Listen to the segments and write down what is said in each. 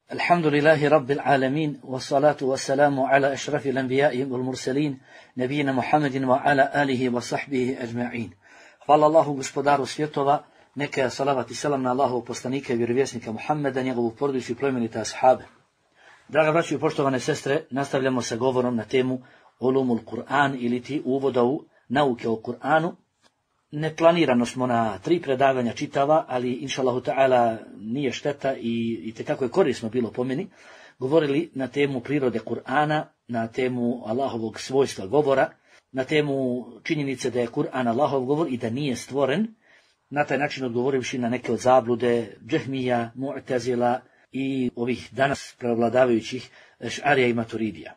Alhamdulillahi Rabbil Alamin, wassalatu wassalamu ala ašrafil anbiya'i wal mursalin, nabijina Muhammedin wa ala alihi wa sahbihi ajma'in. Hvala Allahu gospodaru svjetova, neka salavat i selam na Allahovog poslanika i vjerovjesnika Muhammeda, njegovu porodicu i plemenite ashabe. Draga braćo i poštovane sestre, nastavljamo sa govorom na temu Ulumul Kur'an ili ti uvoda u nauke o Kur'anu. Neplanirano smo na 3 predavanja čitava, ali inšallahu ta'ala nije šteta i tekako je korisno bilo po meni, govorili na temu prirode Kur'ana, na temu Allahovog svojstva govora, na temu činjenice da je Kur'an Allahov govor i da nije stvoren, na taj način odgovorivši na neke od zablude Džehmija, Mu'tazila i ovih danas prevladavajućih Eš'arija i Maturidija.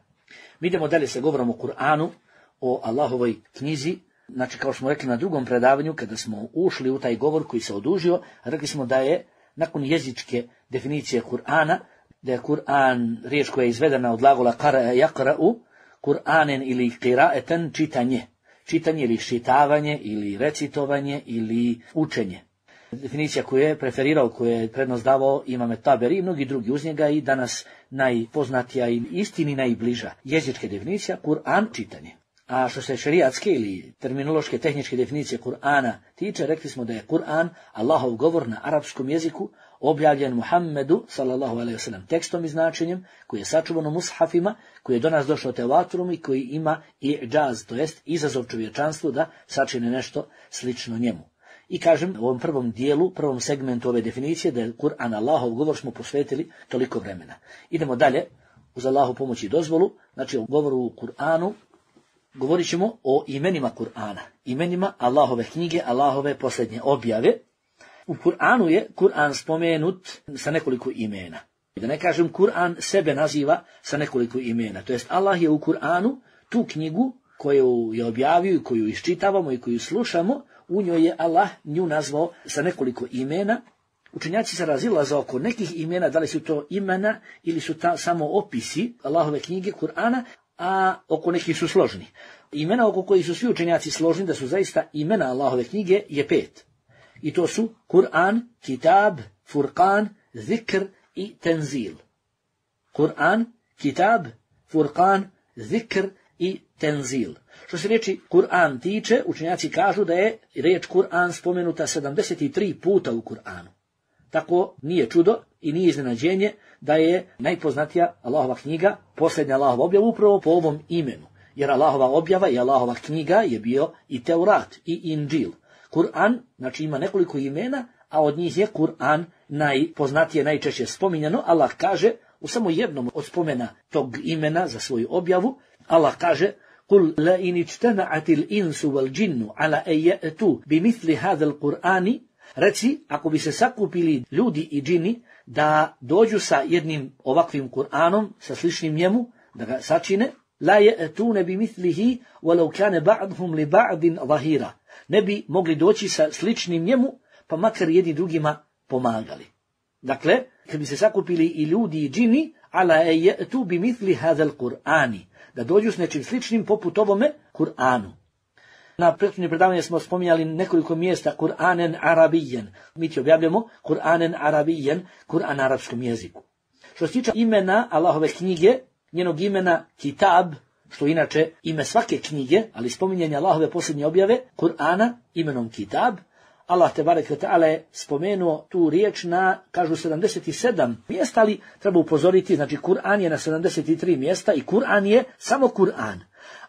Mi idemo dalje sa govorom o Kur'anu, o Allahovoj knjizi. Znači, kao što smo rekli na drugom predavanju, kada smo ušli u taj govor koji se odužio, rekli smo da je, nakon jezičke definicije Kur'ana, da je Kur'an riječ koja je izvedena od glagola qara'a yaqra'u, Kur'anen ili qira'eten, čitanje. Čitanje ili šitavanje, ili recitovanje, ili učenje. Definicija koju je preferirao, koju je prednost davao Imam Taberi i mnogi drugi uz njega i danas najpoznatija i istini najbliža jezička definicija, Kur'an, čitanje. A što se šerijatske ili terminološke tehničke definicije Kur'ana tiče, rekli smo da je Kur'an Allahov govor na arapskom jeziku, objavljen Muhammedu sallallahu alejhi ve sellem tekstom i značenjem, koji je sačuvan u mushafima, koji je do nas došao tevaturom i koji ima i'džaz, to jest izazov čovječanstvu da sačine nešto slično njemu. I kažem, u ovom prvom dijelu, prvom segmentu ove definicije, da je Kur'an Allahov govor, smo posvetili toliko vremena. Idemo dalje, uz Allahu pomoć i dozvolu, znači o govoru u Kur'anu. Govorit ćemo o imenima Kur'ana, imenima Allahove knjige, Allahove posljednje objave. U Kur'anu je Kur'an spomenut sa nekoliko imena. Da ne kažem, Kur'an sebe naziva sa nekoliko imena. To jest, Allah je u Kur'anu tu knjigu koju je objavio i koju iščitavamo i koju slušamo, u njoj je Allah nju nazvao sa nekoliko imena. Učenjaci se razilaze oko nekih imena, da li su to imena ili su samo opisi Allahove knjige Kur'ana, a oko nekih su složni. Imena oko kojih su svi učenjaci složni da su zaista imena Allahove knjige je 5. I to su Kur'an, Kitab, Furqan, Zikr i Tenzil. Kur'an, Kitab, Furqan, Zikr i Tenzil. Što se riječi Kur'an tiče, učenjaci kažu da je riječ Kur'an spomenuta 73 puta u Kur'anu. Tako nije čudo i nije iznenađenje da je najpoznatija Allahova knjiga, posljednja Allahova objava upravo po ovom imenu. Jer Allahova objava i Allahova knjiga je bio i Teurat i Inđil. Kur'an, znači ima nekoliko imena, a od njih je Kur'an najpoznatije, najčešće spominjano. Allah kaže u samo jednom od spomena tog imena za svoju objavu, Allah kaže: "Kul la in ijtama'atil insu wal jinnu ala an ya'tu bimithli hadhal Qur'ani", reci, ako bi se sakupili ljudi i džini da dođu sa jednim ovakvim Kur'anom, sa sličnim njemu, da ga sačine, la ya'tuna bimithlihi walau kana ba'dhum li ba'din zahira, ne bi mogli doći sa sličnim njemu, pa makar jedni drugima pomagali. Dakle, kad bi se sakupili i ljudi i džini, ala ya'tu bimithli hadhal Qur'ani, da dođu s nečim sličnim poput ovome Kur'anu. Na prethodnim predavanjima smo spominjali nekoliko mjesta Kur'anen arabijen. Mi ti objavljamo Kur'anen arabijen, Kur'an na arapskom jeziku. Što se tiče imena Allahove knjige, njenog imena Kitab, što inače ime svake knjige, ali spominjanje Allahove posljednje objave, Kur'ana imenom Kitab, Allah tebarek ve ta'ala je spomenuo tu riječ na, kažu, 77 mjesta, ali treba upozoriti, znači Kur'an je na 73 mjesta i Kur'an je samo Kur'an.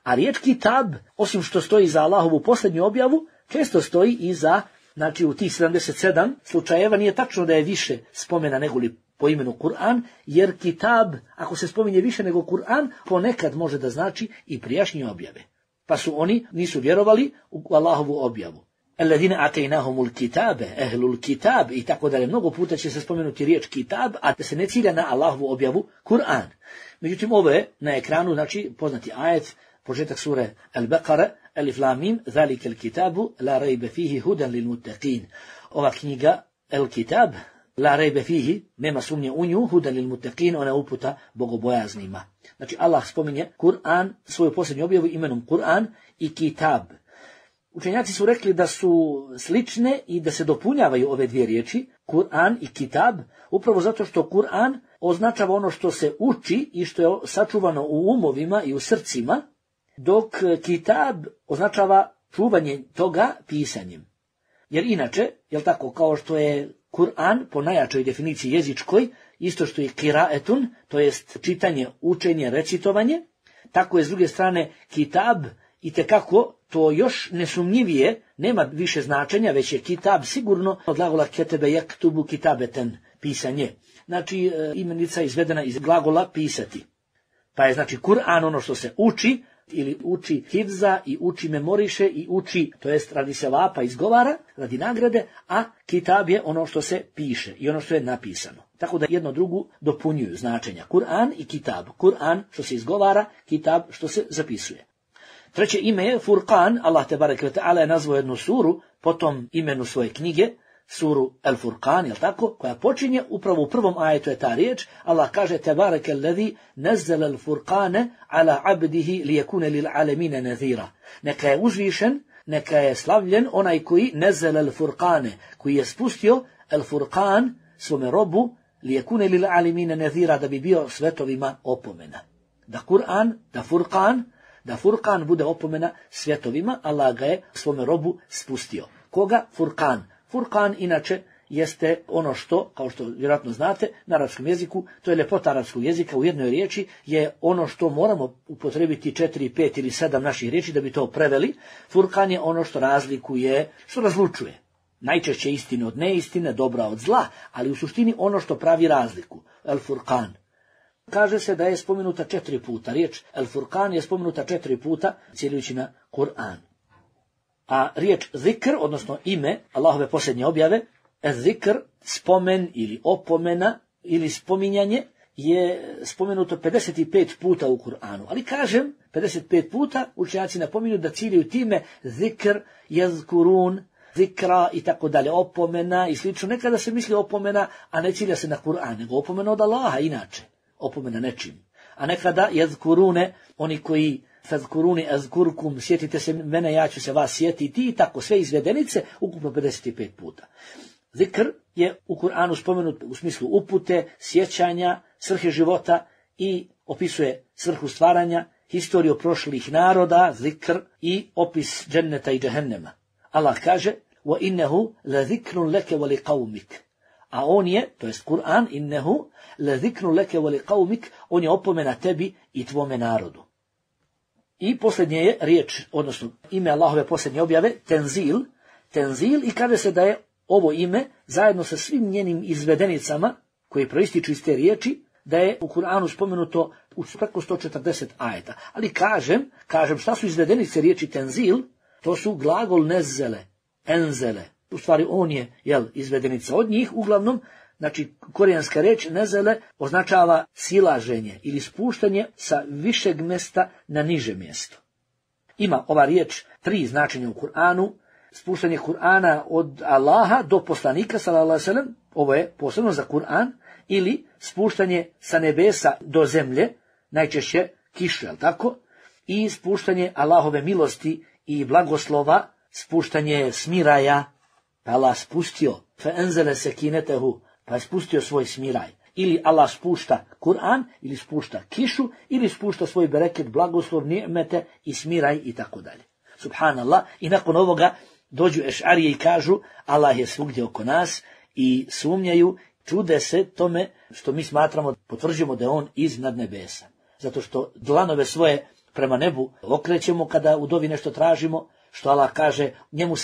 A riječ Kitab, osim što stoji za Allahovu posljednju objavu, često stoji i za, znači u tih 77 slučajeva nije tačno da je više spomena nego li po imenu Kur'an, jer Kitab, ako se spominje više nego Kur'an, ponekad može da znači i prijašnje objave. Pa su oni nisu vjerovali u Allahovu objavu. Alladine atejnahumul kitabe, ehlul kitab i tako dalje. Mnogo puta će se spomenuti riječ Kitab, a da se ne cilja na Allahovu objavu Kur'an. Međutim, ovo je na ekranu, znači poznati ajet, početak sure Al-Baqara, Alif Lam Mim, zalika al-kitabu la rayba fihi hudan lil muttaqin. Ova knjiga Al-Kitab, la rayba fihi, nema sumnje u nju, hudan lil muttaqin, ona uputa bogobojaznima. Znači Allah spominje Kur'an, svoju posljednju objavu imenom Kur'an i Kitab. Učenjaci su rekli da su slične i da se dopunjavaju ove dvije riječi. Kur'an i kitab? Upravo zato što Kur'an označava ono što se uči i što je sačuvano u umovima i u srcima, dok kitab označava čuvanje toga pisanjem. Jer inače, jel tako, kao što je Kur'an po najjačoj definiciji jezičkoj, isto što je kiraetun, to jest čitanje, učenje, recitovanje, tako je s druge strane kitab itekako to još nesumnjivije, nema više značenja, već je kitab sigurno od glagola ketebe jaktubu kitabeten, pisanje. Znači imenica izvedena iz glagola pisati. Pa je znači Kur'an ono što se uči, ili uči hifza i uči memoriše i uči, to jest radi se vapa izgovara, radi nagrade, a kitab je ono što se piše i ono što je napisano. Tako da jedno drugu dopunjuju značenja. Kur'an i kitab. Kur'an što se izgovara, kitab što se zapisuje. Treće ime je Furqan. Allah tebareke ve ta'ala je nazvao jednu suru po tom imenu svoje knjige, suru Al-Furqan, jel tako, koja počinje upravo u prvom ajetu je ta riječ. Allah kaže tebareke allazi nazzala al-Furqane ala abdihi liyakuna lil alamina nadhira. Neka je uzvišen, neka je slavljen onaj koji nazzala al-Furqane, koji je spustio Al-Furqan svome robu liyakuna lil alamina nadhira, da bi bio svetovima opomena. Da Kur'an, da Furqan bude opomena svjetovima, Allah ga je svome robu spustio. Koga? Furqan. Furqan inače jeste ono što, kao što vjerojatno znate, na arapskom jeziku, to je ljepota arapskog jezika, u jednoj riječi je ono što moramo upotrebiti 4, 5 ili 7 naših riječi da bi to preveli. Furqan je ono što razlikuje, što razlučuje. Najčešće istine od neistine, dobra od zla, ali u suštini ono što pravi razliku. Al-Furqan. Kaže se da je spomenuta 4 puta. Riječ Al-Furqan je spomenuta 4 puta, cijelujući na Kur'an. A riječ zikr, odnosno ime Allahove posljednje objave, zikr, spomen ili opomena ili spominjanje, je spomenuto 55 puta u Kur'anu. Ali kažem, 55 puta učenjaci napominju da ciljaju time zikr, jezkurun, zikra i tako dalje, opomena i slično. Nekada se misli opomena, a ne cilja se na Kur'an, nego opomena od Allaha inače. Opomena nečim. A nekada jezkurune, oni koji fazkuruni azkurkum, sjetite se mene, ja ću se vas sjetiti, i tako sve izvedenice, ukupno 55 puta. Zikr je u Kur'anu spomenut u smislu upute, sjećanja, svrhe života i opisuje svrhu stvaranja, historiju prošlih naroda, zikr, i opis dženneta i džehennema. Allah kaže: وَإِنَّهُ لَذِكْرٌ لَكَ وَلِقَوْمِكَ. A on je, to jest Kur'an, innehu lezikru leke voli qaumik, on je opomena tebi i tvome narodu. I posljednje je riječ, odnosno ime Allahove posljednje objave, tenzil, i kaže se da je ovo ime, zajedno sa svim njenim izvedenicama, koje proističu iz te riječi, da je u Kur'anu spomenuto u preko 140 ajeta. Ali kažem šta su izvedenice riječi tenzil, to su glagol nezzele, enzele. U stvari on je, izvedenica od njih, uglavnom, znači korijanska riječ nezele označava silaženje ili spuštanje sa višeg mjesta na niže mjesto. Ima ova riječ 3 značenja u Kur'anu: spuštanje Kur'ana od Allaha do poslanika, sallallahu alejhi ve sellem, ovo je posebno za Kur'an, ili spuštanje sa nebesa do zemlje, najčešće kišu, tako? I spuštanje Allahove milosti i blagoslova, spuštanje smiraja, pa Allah spustio, fa enzele sekinetehu, pa je spustio svoj smiraj. Ili Allah spušta Kur'an, ili spušta kišu, ili spušta svoj bereket, blagoslov, ni'mete i smiraj i tako dalje. Subhanallah. I nakon ovoga dođu ešarije i kažu Allah je svugdje oko nas i sumnjaju, čude se tome što mi smatramo, potvrđujemo da je on iznad nebesa. Zato što dlanove svoje prema nebu okrećemo kada u dovi nešto tražimo, što Allah kaže, njemu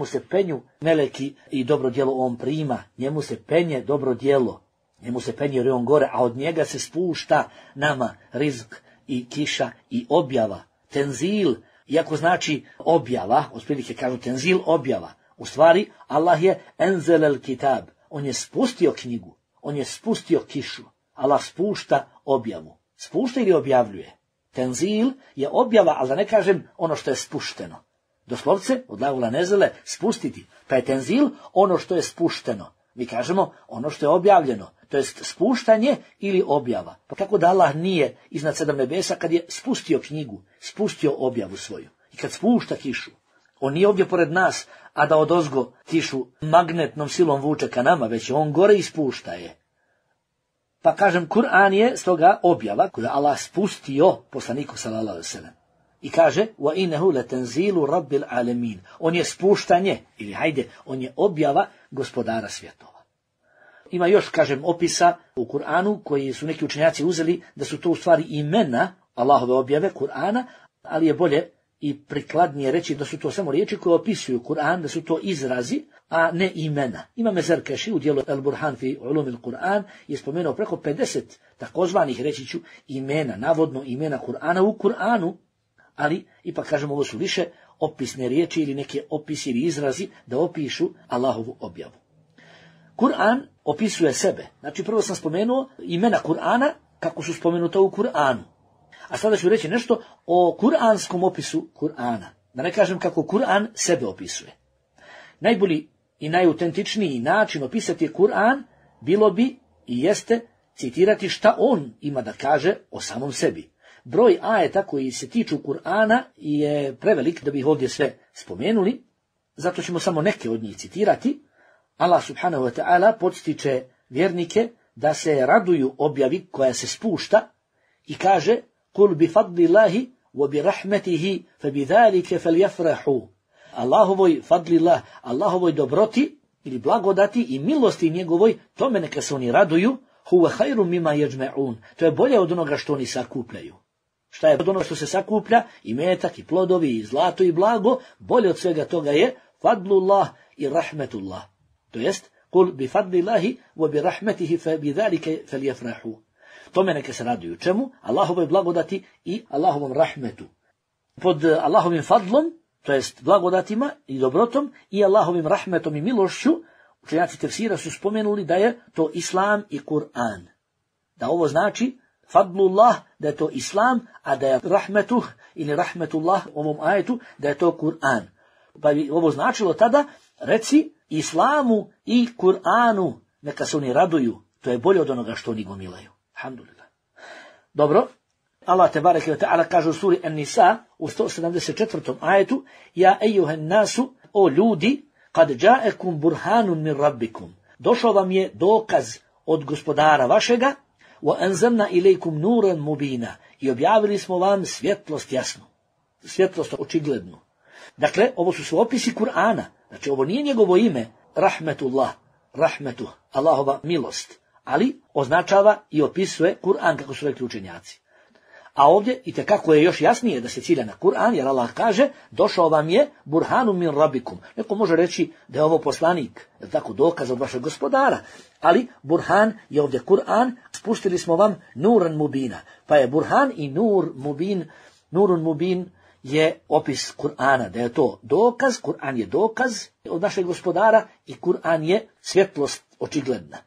se penju meleki i dobro djelo on prima, njemu se penje dobro djelo, njemu se penje jer je on gore, a od njega se spušta nama rizk i kiša i objava. Tenzil, iako znači objava, otprilike kažu tenzil, objava. U stvari, Allah je enzelel kitab, on je spustio knjigu, on je spustio kišu. Allah spušta objavu. Spušta ili objavljuje? Tenzil je objava, ali da ne kažem ono što je spušteno. Doslovce, od glagola nezele, spustiti. Pa je tenzil ono što je spušteno. Mi kažemo ono što je objavljeno. To jest spuštanje ili objava. Pa kako da Allah nije iznad 7 nebesa kad je spustio knjigu, spustio objavu svoju. I kad spušta kišu, On nije ovdje pored nas, a da odozgo kišu magnetnom silom vuče ka nama, već on gore ispušta je. Pa kažem, Kur'an je stoga objava koju Allah spustio poslaniku sallallahu alejhi ve sellem. I kaže, wa innahu latanzilu rabbil alamin. On je spuštanje, ili hajde, on je objava gospodara svjetova. Ima još, kažem, opisa u Kur'anu koji su neki učenjaci uzeli da su to u stvari imena Allahove objave Kur'ana, ali je bolje i prikladnije reći da su to samo riječi koje opisuju Kur'an, da su to izrazi, a ne imena. Imam Zarkaši u dijelu El Burhan fi ulumil Kur'an je spomenuo preko 50 takozvanih, reći ću, imena, navodno imena Kur'ana u Kur'anu, ali ipak kažemo ovo su više opisne riječi ili neke opisi ili izrazi da opišu Allahovu objavu. Kur'an opisuje sebe. Znači prvo sam spomenuo imena Kur'ana kako su spomenuta u Kur'anu. A sada ću reći nešto o kur'anskom opisu Kur'ana. Da ne kažem kako Kur'an sebe opisuje. Najbolji i najautentičniji način opisati Kur'an bilo bi i jeste citirati šta on ima da kaže o samom sebi. Broj ajeta koji se tiču Kur'ana je prevelik da bi ih ovdje sve spomenuli, zato ćemo samo neke od njih citirati. Allah subhanahu wa ta'ala podstiče vjernike da se raduju objavi koja se spušta i kaže قُلْ بِفَضْلِ اللَّهِ وَبِرَحْمَتِهِ فَبِذَلِكَ فَلْيَفْرَحُوا. Allahovoj fadlillah, Allahovoj dobroti ili blagodati i milosti njegovoj, tome neka se oni raduju, huwa khairum mimma yajma'un. To je bolje od onoga što oni sakupljaju. Šta je od onoga što se sakuplja? I metak, i plodovi, i zlato, i blago. Bolje od svega toga je fadlullah i rahmetullah. To jest, قُلْ بِفَضْلِ اللَّهِ وَبِرَحْمَتِهِ فَبِذَلِكَ فَلْيَفْرَحُوا. Tome neka se raduju. Čemu? Allahovoj blagodati i Allahovom rahmetu. Pod Allahovim fadlom, to jest blagodatima i dobrotom, i Allahovim rahmetom i milošću, učenjaci tefsira su spomenuli da je to Islam i Kur'an. Da ovo znači fadlullah, da je to Islam, a da je rahmetuh ili rahmetullah u ovom ajetu, da je to Kur'an. Pa bi ovo značilo tada, reci Islamu i Kur'anu, neka se oni raduju. To je bolje od onoga što oni gomilaju. Alhamdulillah. Dobro. Allah tebareke ve ta'ala kaže u suri An-Nisa u 174. ajetu: Ja ejuhen nasu, o ljudi, kad ja'ekum burhanun min rabbikum. Došao vam je dokaz od gospodara vašega, wa anzalna ilaykum nuran mubina. I objavili smo vam svjetlost jasnu. Svjetlost očiglednu. Dakle, ovo su opisi Kur'ana. Znači, ovo nije njegovo ime, rahmetullah, rahmetuh, Allahova milost. Ali označava i opisuje Kur'an, kako su rekli učenjaci. A ovdje itekako je još jasnije da se cilja na Kur'an, jer Allah kaže, došao vam je burhanun min rabbikum. Neko može reći da je ovo poslanik, je tako, dokaz od vašeg gospodara. Ali burhan je ovdje Kur'an, spustili smo vam nuran mubina. Pa je burhan i nur mubin, nurun mubin je opis Kur'ana, da je to dokaz, Kur'an je dokaz od našeg gospodara i Kur'an je svjetlost očigledna.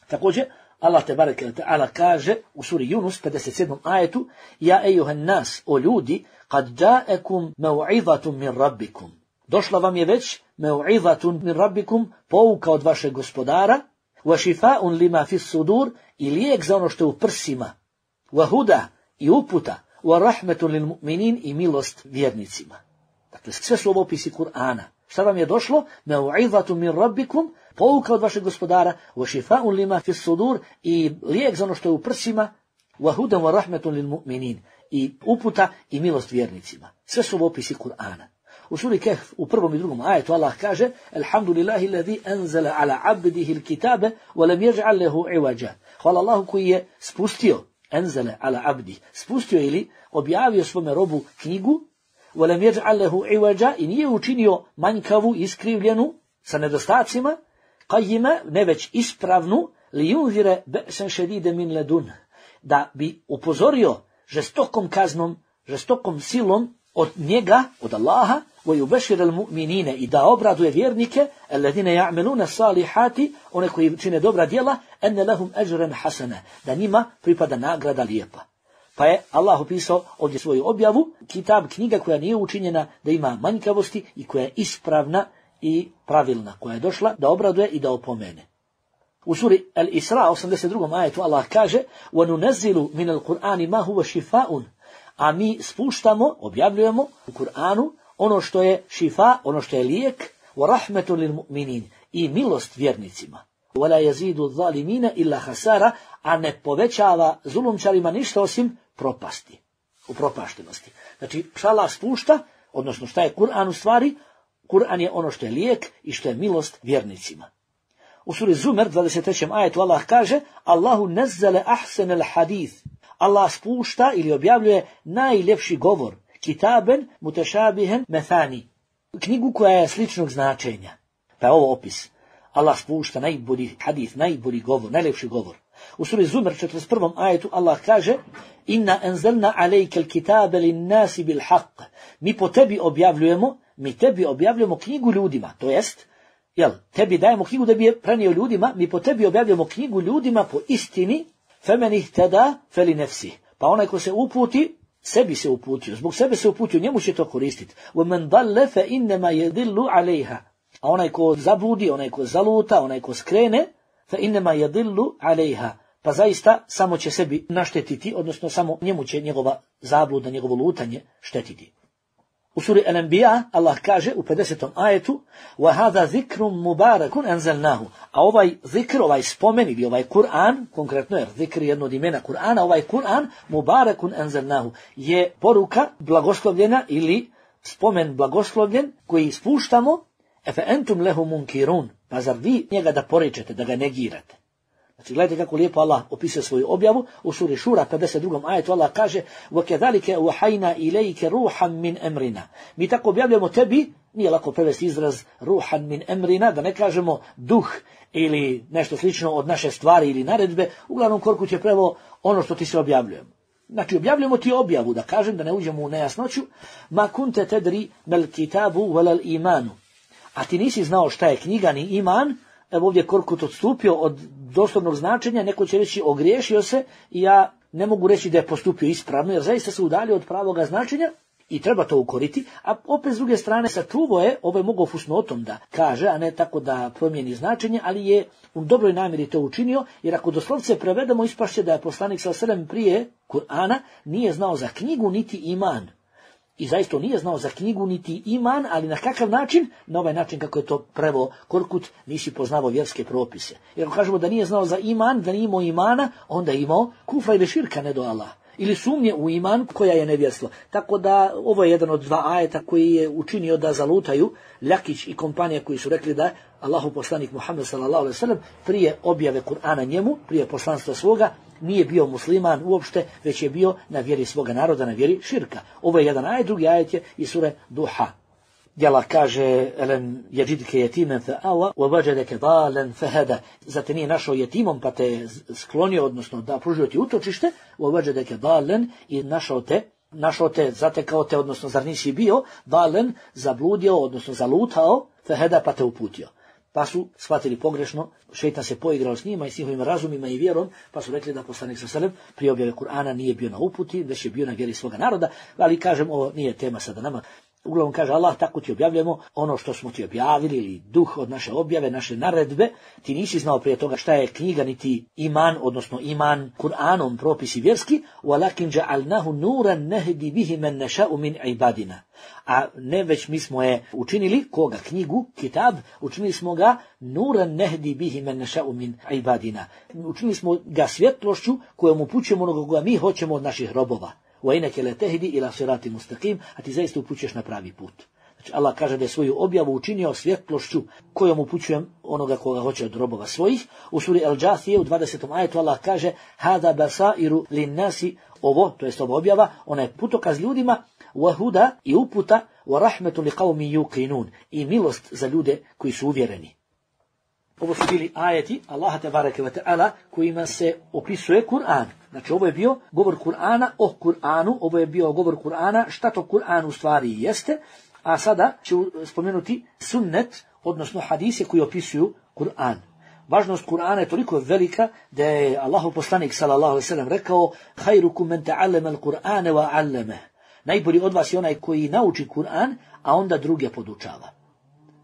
Također, Allah tebareke ve ta'ala kaže u suri Yunus 57. ajetu: Ja ejuhan nas, o ljudi, kad ja'ekum mev'izatun min rabbikum. Došla vam je već mev'izatun min rabbikum, pouka od vašeg gospodara, wa šifa'un lima fis sudur, i lijek za ono što je u prsima, wa huda, i uputa, wa rahmetun lil mu'minin, i milost vjernicima. Dakle, sve su ovo opisi Kur'ana. Šta vam je došlo? Mev'izatun min rabbikum, pouka od vašeg gospodara, wa šifa'un lima fis sudur, i lijek za ono što je u prsima, wa hudan wa rahmetun lil mu'minin, i uputa i milost vjernicima. Sve su ovo opisi Kur'ana. U suri Kehf u 1. i 2. ajetu Allah kaže: Alhamdulillahi alladhi anzala ala abdihi alkitabe wa lam yaj'al lahu iwaja. Hvala Allahu koji je spustio, anzala ala abdi, spustio ili objavio svome robu knjigu, wa lam yaj'al lahu iwaja, i nije učinio manjkavu, iskrivljenu, sa nedostacima, qajima, ne već ispravnu, li yunzira ba'san shadidan min ladun, da bi upozorio žestokom kaznom, žestokom silom od njega, od Allaha, wa yubashshir al-mu'minina, i da obraduje vjernike, alladine ya'maluna salihati, one koji čine dobra djela, anna lahum ajran hasana, da njima pripada nagrada lijepa. Pa je Allah opisao ovdje svoju objavu, kitab, knjiga koja nije učinjena da ima manjkavosti i koja je ispravna i pravilna, koja je došla da obraduje i da opomene. U suri Al-Isra 82. ajetu Allah kaže: وَنُنَزِّلُ مِنَ الْقُرْآنِ مَا هُوَ شِفَاءٌ. A mi spuštamo, objavljujemo u Kur'anu ono što je šifa, ono što je lijek, wa rahmetu lil mu'minin, i milost vjernicima. Wala yazidu zalimina illa hasara, a ne povećava zulumčarima ništa osim propasti, upropaštenosti. Znači, šta Allah spušta, odnosno šta je Kur'an u stvari? Kur'an je ono što je lijek i što je milost vjernicima. U suri Zumer, 23. ajetu, Allah kaže: Allahu nazzala ahsanal hadith. Allah spušta ili objavljuje najljepši govor, kitaben mutashabihan mathani, knjigu koja je sličnog značenja. Pa je ovo opis. Allah spušta najbolji hadith, najbolji govor, najljepši govor. U suri Zumer, 41. ajetu, Allah kaže: Inna anzalna alejke al-kitabe lin-nasi bil haqq. Mi tebi objavljujemo knjigu ljudima, to jest, tebi dajemo knjigu da bi je prenio ljudima, mi po tebi objavljujemo knjigu ljudima po istini, femen ihtada feli nefsi. Pa onaj ko se uputi, sebi se uputio, zbog sebe se uputio, njemu će to koristiti. وَمَنْ ضَلَّ فَإِنَّمَا يَدِلُّ عَلَيْهَا. A onaj ko zabludi, onaj ko zaluta, onaj ko skrene, فَإِنَّمَا يَدِلُّ عَلَيْهَا. Pa zaista samo će sebi naštetiti, odnosno samo njemu će njegova zabluda, njegovo lutanje štetiti. U suri Al-Anbiya Allah kaže u 50. ajetu: وَهَذَا ذِكْرٌ مُبَارَكٌ أَنزَلْنَاهُ. A ovaj zikr, ovaj spomen ili ovaj Kur'an, konkretno jer zikr je jedno od imena Kur'ana, ovaj Kur'an mubarakun anzalnahu je poruka blagoslovljena ili spomen blagoslovljen koji spuštamo. Efe entum lehu munkirun. Pa zar vi njega da poričete, da ga negirate? Znači, gledajte kako lijepo Allah opisuje svoju objavu. U suri Šura, 52. ajetu, Allah kaže: وَكَذَلِكَ وَحَيْنَا إِلَيْكَ رُوحًا مِنْ أَمْرِنَا. Mi tako objavljamo tebi, nije lako prevesti izraz ruhan min emrina, da ne kažemo duh ili nešto slično od naše stvari ili naredbe, uglavnom Korkut je preveo ono što ti se objavljujemo. Znači, objavljamo ti objavu, da kažem, da ne uđemo u nejasnoću. Ma kunte tedri mel kitabu velal imanu. A ti nisi znao šta je knjiga ni iman. Evo ovdje Korkut odstupio od doslovnog značenja, neko će reći ogriješio se i ja ne mogu reći da je postupio ispravno, jer zaista se udalio od pravoga značenja i treba to ukoriti, a opet s druge strane sačuvao je, ovo je mogao fusnotom da kaže, a ne tako da promijeni značenje, ali je u dobroj namjeri to učinio, jer ako doslovce prevedemo, ispašće da je poslanik s.a.v. prije Kur'ana nije znao za knjigu niti iman. I zaista nije znao za knjigu niti iman, ali na kakav način? Na ovaj način kako je to preveo Korkut, nisi poznavao vjerske propise. Jer ako kažemo da nije znao za iman, da nije imao imana, onda je imao kufra ili širka, ne do Allah. Ili sumnje u iman koja je nevjerstvo. Tako da ovo je jedan od dva ajeta koji je učinio da zalutaju Ljakić i kompanija koji su rekli da Allahu poslanik Muhammed s.a.v. prije objave Kur'ana njemu, prije poslanstva svoga, nije bio musliman uopšte, već je bio na vjeri svoga naroda, na vjeri širka. Ovo je jedan ajet, drugi ajet je iz sure Duha. Gdje Allah kaže: Elem jeđidke jetimen fa awa, wa wajadeke dalen fa hada. Zate nije našao jetimom pa te sklonio, odnosno da pružio ti utočište, wa wajadeke dalen, i našao te, zatekao te, odnosno zar nisi bio dalen, zabludio, odnosno zalutao, fa hada, pa te uputio. Pa su shvatili pogrešno, šejtan se poigrao s njima i s njihovim razumima i vjerom, pa su rekli da poslanik s.a.v. prije objave Kur'ana nije bio na uputi, već je bio na vjeri svoga naroda, ali kažem, ovo nije tema sada nama. Uglavnom kaže Allah, tako ti objavljujemo ono što smo ti objavili, ili duh od naše objave, naše naredbe. Ti nisi znao prije toga šta je knjiga niti iman, odnosno iman Kur'anom, propisi vjerski. وَلَكِنْ جَعَلْنَهُ نُورًا نَهْدِي بِهِ مَنْ نَشَاءُ مِنْ عِبَادِنَا. A ne, već mi smo je učinili, koga? Knjigu, kitab, učinili smo ga nuran nehdi bihi men neša'u min ibadina. Učinili smo ga svjetlošću kojom upućujemo onoga koga mi hoćemo od naših robova. وَإِنَكَ لَتَهْدِي إِلَى صِرَاطٍ مُسْتَقِيمٍ. A ti zaista upućuješ na pravi put. Znači Allah kaže da je svoju objavu učinio svjetlošću kojom upućujem onoga koga hoće od robova svojih. U suri Al-Džathije u 20. ajetu Allah kaže: Hada basairu linnasi. Ovo, to jest ova objava, ona je putokaz ljudima, wahuda i uputa, wa rahmetu li qawmi yuqinun, i milost za ljude koji su uvjereni. Ovo su bili ajeti Allaha tebareke ve taala kojima se opisuje Kur'an. Znači ovo je bio govor Kur'ana o Kur'anu, ovo je bio govor Kur'ana šta to Kur'an u stvari jeste, a sada ću spomenuti sunnet, odnosno hadise koji opisuju Kur'an. Važnost Kur'ana je toliko velika da je Allahov poslanik sallallahu alejhi ve sellem rekao: "Khairukum man ta'allama al-Qur'ana wa 'allama." Najbolji od vas je onaj koji nauči Kur'an, a onda druge podučava.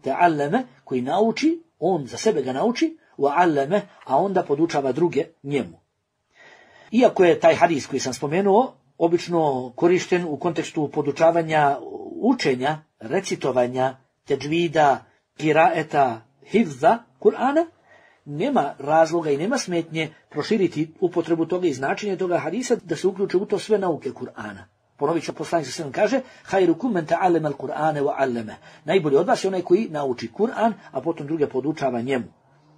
Ta'allama, koji nauči, on za sebe ga nauči, wa 'allama, a onda podučava druge njemu. Iako je taj hadis koji sam spomenuo obično korišten u kontekstu podučavanja učenja, recitovanja, teđvida, kiraeta, hifza Kur'ana, nema razloga i nema smetnje proširiti upotrebu toga i značenje toga hadisa da se uključe u to sve nauke Kur'ana. Ponovit ću, poslanik sallallahu alejhi ve sellem kaže: "Khairukum man ta'allama al-Qur'ana wa 'allama." Najbolji od vas je onaj koji nauči Kur'an, a potom druge podučava njemu.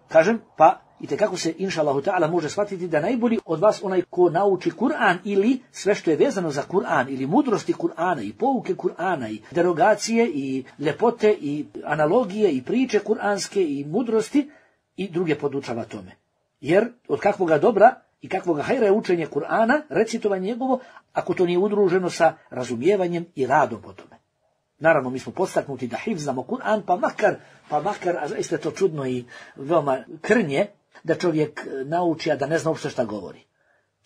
Kažem, pa itekako se inšallahu ta'ala može shvatiti da najbolji od vas onaj ko nauči Kur'an ili sve što je vezano za Kur'an ili mudrosti Kur'ana i pouke Kur'ana i derogacije i ljepote i analogije i priče kur'anske i mudrosti i druge podučava tome. Jer od kakvoga dobra i kakvoga hajra je učenje Kur'ana, recitovanje njegovo, ako to nije udruženo sa razumijevanjem i radom po tome. Naravno, mi smo podstaknuti da hifzamo Kur'an, pa makar, a zaista je to čudno i veoma krnje, da čovjek nauči, a da ne zna uopšte šta govori.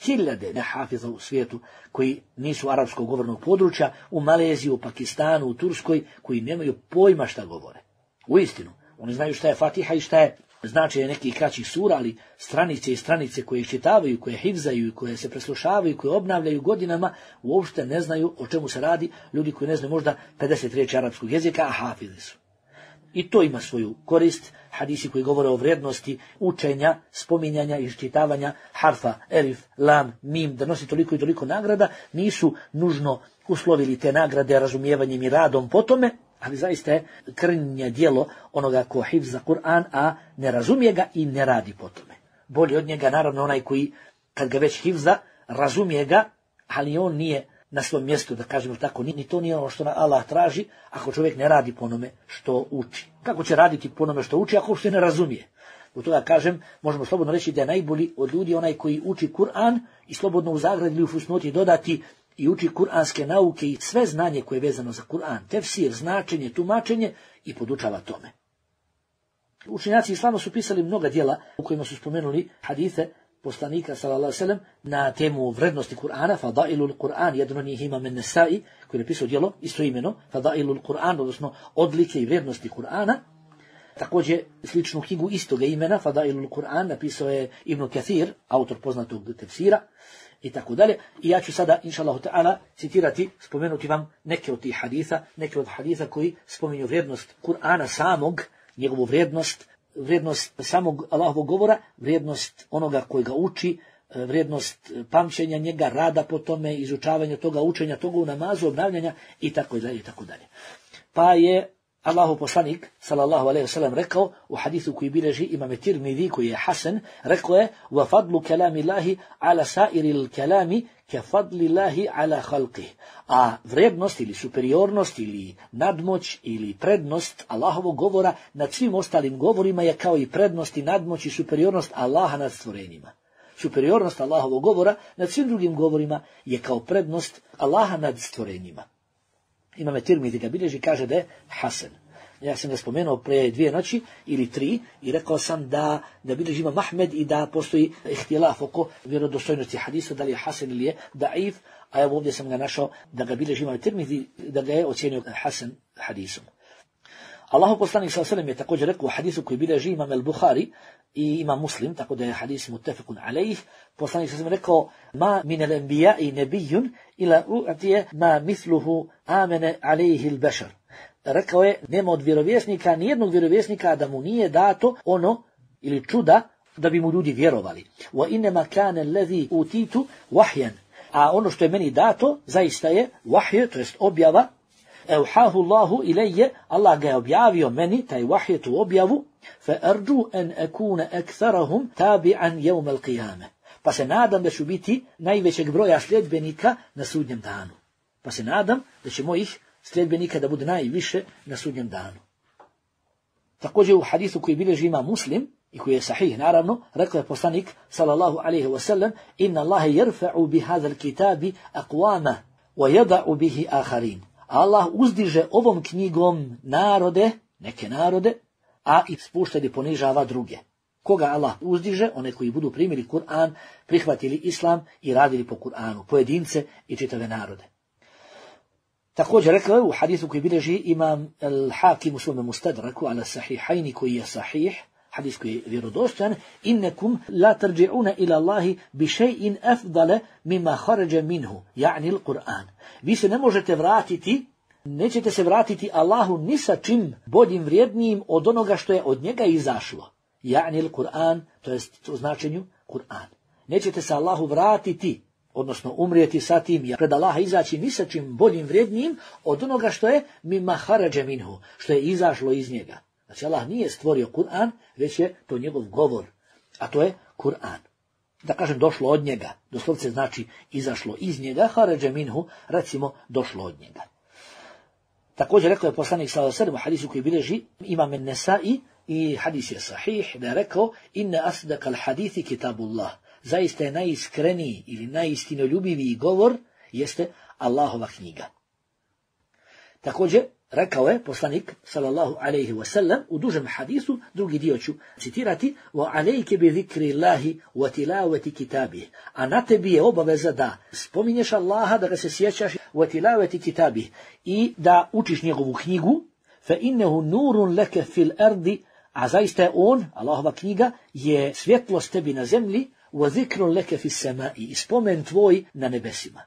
Hiljade nehafiza u svijetu koji nisu arapskog govornog područja, u Maleziji, u Pakistanu, u Turskoj, koji nemaju pojma šta govore. Uistinu, oni znaju šta je Fatiha i šta je značenje nekih kraćih sura, ali stranice i stranice koje iščitavaju, koje hifzaju, koje se preslušavaju, koje obnavljaju godinama, uopšte ne znaju o čemu se radi, ljudi koji ne znaju možda 50 riječi arapskog jezika, a hafizi su. I to ima svoju korist, hadisi koji govore o vrijednosti učenja, spominjanja i iščitavanja harfa, elif, lam, mim, da nosi toliko i toliko nagrada, nisu nužno uslovili te nagrade razumijevanjem i radom po tome, ali zaista je krnje djelo onoga ko hifza Kur'an, a ne razumije ga i ne radi po tome. Bolji od njega naravno onaj koji, kad ga već hifza, razumije ga, ali on nije na svom mjestu, da kažemo tako, ni to nije ono što Allah traži, ako čovjek ne radi po onome što uči. Kako će raditi po onome što uči, ako uopšte ne razumije? U toga kažem, možemo slobodno reći da je najbolji od ljudi onaj koji uči Kur'an i slobodno u zagradi ili u fusnoti dodati i uči kuranske nauke i sve znanje koje je vezano za Kur'an, tefsir, značenje, tumačenje i podučava tome. Učenjaci islama su pisali mnoga djela u kojima su spomenuli hadise poslanika sallallahu alejhi ve sellem na temu vrednosti Kur'ana, Fadailul Kur'an, jedan od njih Imam an-Nasa'i koji je napisao djelo istoimeno, Fadailul Kur'an, odnosno odlike i vrijednosti Kur'ana. Također sličnu knjigu istoga imena, Fadailul Kur'an, napisao je Ibn Kathir, autor poznatog tefsira i tako dalje. I ja ću sada, inšallahu ta'ala, citirati, spomenuti vam neke od tih haditha, neke od haditha koji spominju vrijednost Kur'ana samog, njegovu vrijednost samog Allahovog govora, vrijednost onoga koji ga uči, vrijednost pamćenja njega, rada po tome, izučavanja toga, učenja toga u namazu, obnavljanja i tako dalje i tako dalje. Pa je Allahov poslanik sallallahu alejhi ve sellem rekao u hadisu koji bilježi Imam Tirmidhi koji je hasan, rekao je: "Wa fadlu kalamillahi ala sa'iril kalami ka fadlillahi ala khalqihi." A vrijednost ili superiornost ili nadmoć ili prednost Allahovog govora nad svim ostalim govorima je kao i prednost i nadmoć i superiornost Allaha nad stvorenjima. Superiornost Allahovog govora nad svim drugim govorima je kao prednost Allaha nad stvorenjima. Imam Tirmidhi ga bilježi, kaže da je hasan. Ja sam ga spomenuo pre 2 noći ili 3 i rekao sam da bilježi Imam Ahmed i da postoji ihtilaf oko vjerodostojnosti hadisa, da li je hasan ili je daif, a evo ovdje sam ga našao da ga bilježi Imam Tirmidhi, da ga je ocjenio hasan hadisom. Allahov poslanik sallallahu alejhi ve sellem je također rekao u hadisu koji bilježi Imam al-Bukhari i Imam Muslim, tako da je hadis muttefaqun alejh. Poslanik sallallahu alejhi ve sellem rekao: "Ma min al-anbiya'i nabiyyun ila u'tiya ma mithluhu amana alejhi al-bashar." Rekao je: nema od vjerovjesnika, nijednog vjerovjesnika da mu nije dato ono ili čuda da bi mu ljudi vjerovali. Wa inma kana allazi utitu wahyan. A ono što je meni dato zaista je wahj, to jest objava. Euhahu Allahu ilayya, Allah ga je objavio meni, taj wahj, tu objavu, fa arju an akuna aktharahum tabi'an yawm al-qiyamah. Pa se nadam da ću biti najvećeg broja sljedbenika na sudnjem danu. Pa se nadam da će mojih sljedbenika da bude najviše na sudnjem danu. Također u hadisu koji bilježi Imam Muslim i koji je sahih naravno, rekao je poslanik sallallahu alejhi ve sellem: "Inna Allaha yarfa'u bi hadha al-kitabi aqwama wa yada'u bihi akharin." Allah uzdiže ovom knjigom narode, neke narode, a i spušta i ponižava druge. Koga Allah uzdiže? One koji budu primili Kur'an, prihvatili Islam i radili po Kur'anu, pojedince i čitave narode. Također rekao je u hadisu koji bilježi Imam al-Hakim u svome Mustadraku ala sahihajni koji je sahih, hadis koji je vjerodostojan: "Innakum la tarji'una ila Allahi bi shay'in afdala mimma kharaja minhu", yani al-Qur'an. Vi se ne možete vratiti nećete se vratiti Allahu ni sa čim boljim vrijednijim od onoga što je od njega izašlo. Ja'ni Kur'an, to jest u značenju Kur'an. Nećete se Allahu vratiti, odnosno umrijeti sa tim, pred Allaha izaći ni sa čim boljim vrijednijim od onoga što je mimma harađe minhu, što je izašlo iz njega. Znači Allah nije stvorio Kur'an, već je to njegov govor, a to je Kur'an. Da kažem došlo od njega, doslovce znači izašlo iz njega, harađe minhu, recimo došlo od njega. Također rekao je poslanik sallallahu alejhi ve sellem u hadisu koji bilježi Imam an-Nasa'i i hadis je sahih, da je rekao inna asdaqal hadithi kitabullah. Zaista je najiskreniji ili najistinoljubiviji govor jeste Allahova knjiga. Također rekao je poslanik sallallahu alejhi ve sellem u dužem hadisu, drugi dio ću citirati, wa alejke bi zikrillahi wa tilawati kitabih. A na tebi je obaveza da spominješ Allaha, da ga se sjećaš, wa tilawati kitabih, i da učiš njegovu knjigu, fa innahu nurun laka fil ardi, a zaista je on, Allahova knjiga, je svjetlost tebi na zemlji, wa zikrun laka fis samai, i spomen tvoj na nebesima.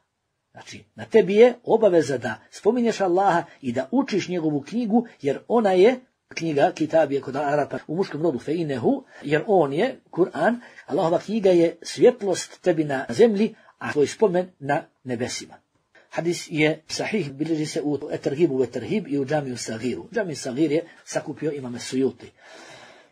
Znači, na tebi je obaveza da spominješ Allaha i da učiš njegovu knjigu, jer ona je, knjiga, kitab je kod Arapa u muškom rodu feinehu, jer on je, Kur'an, Allahova knjiga je svjetlost tebi na zemlji, a tvoj spomen na nebesima. Hadis je sahih, bilježi se u Eterhibu ve Terhib i u Džamiju Sagiru. Džamiju Sagir je sakupio Imam Sujuti.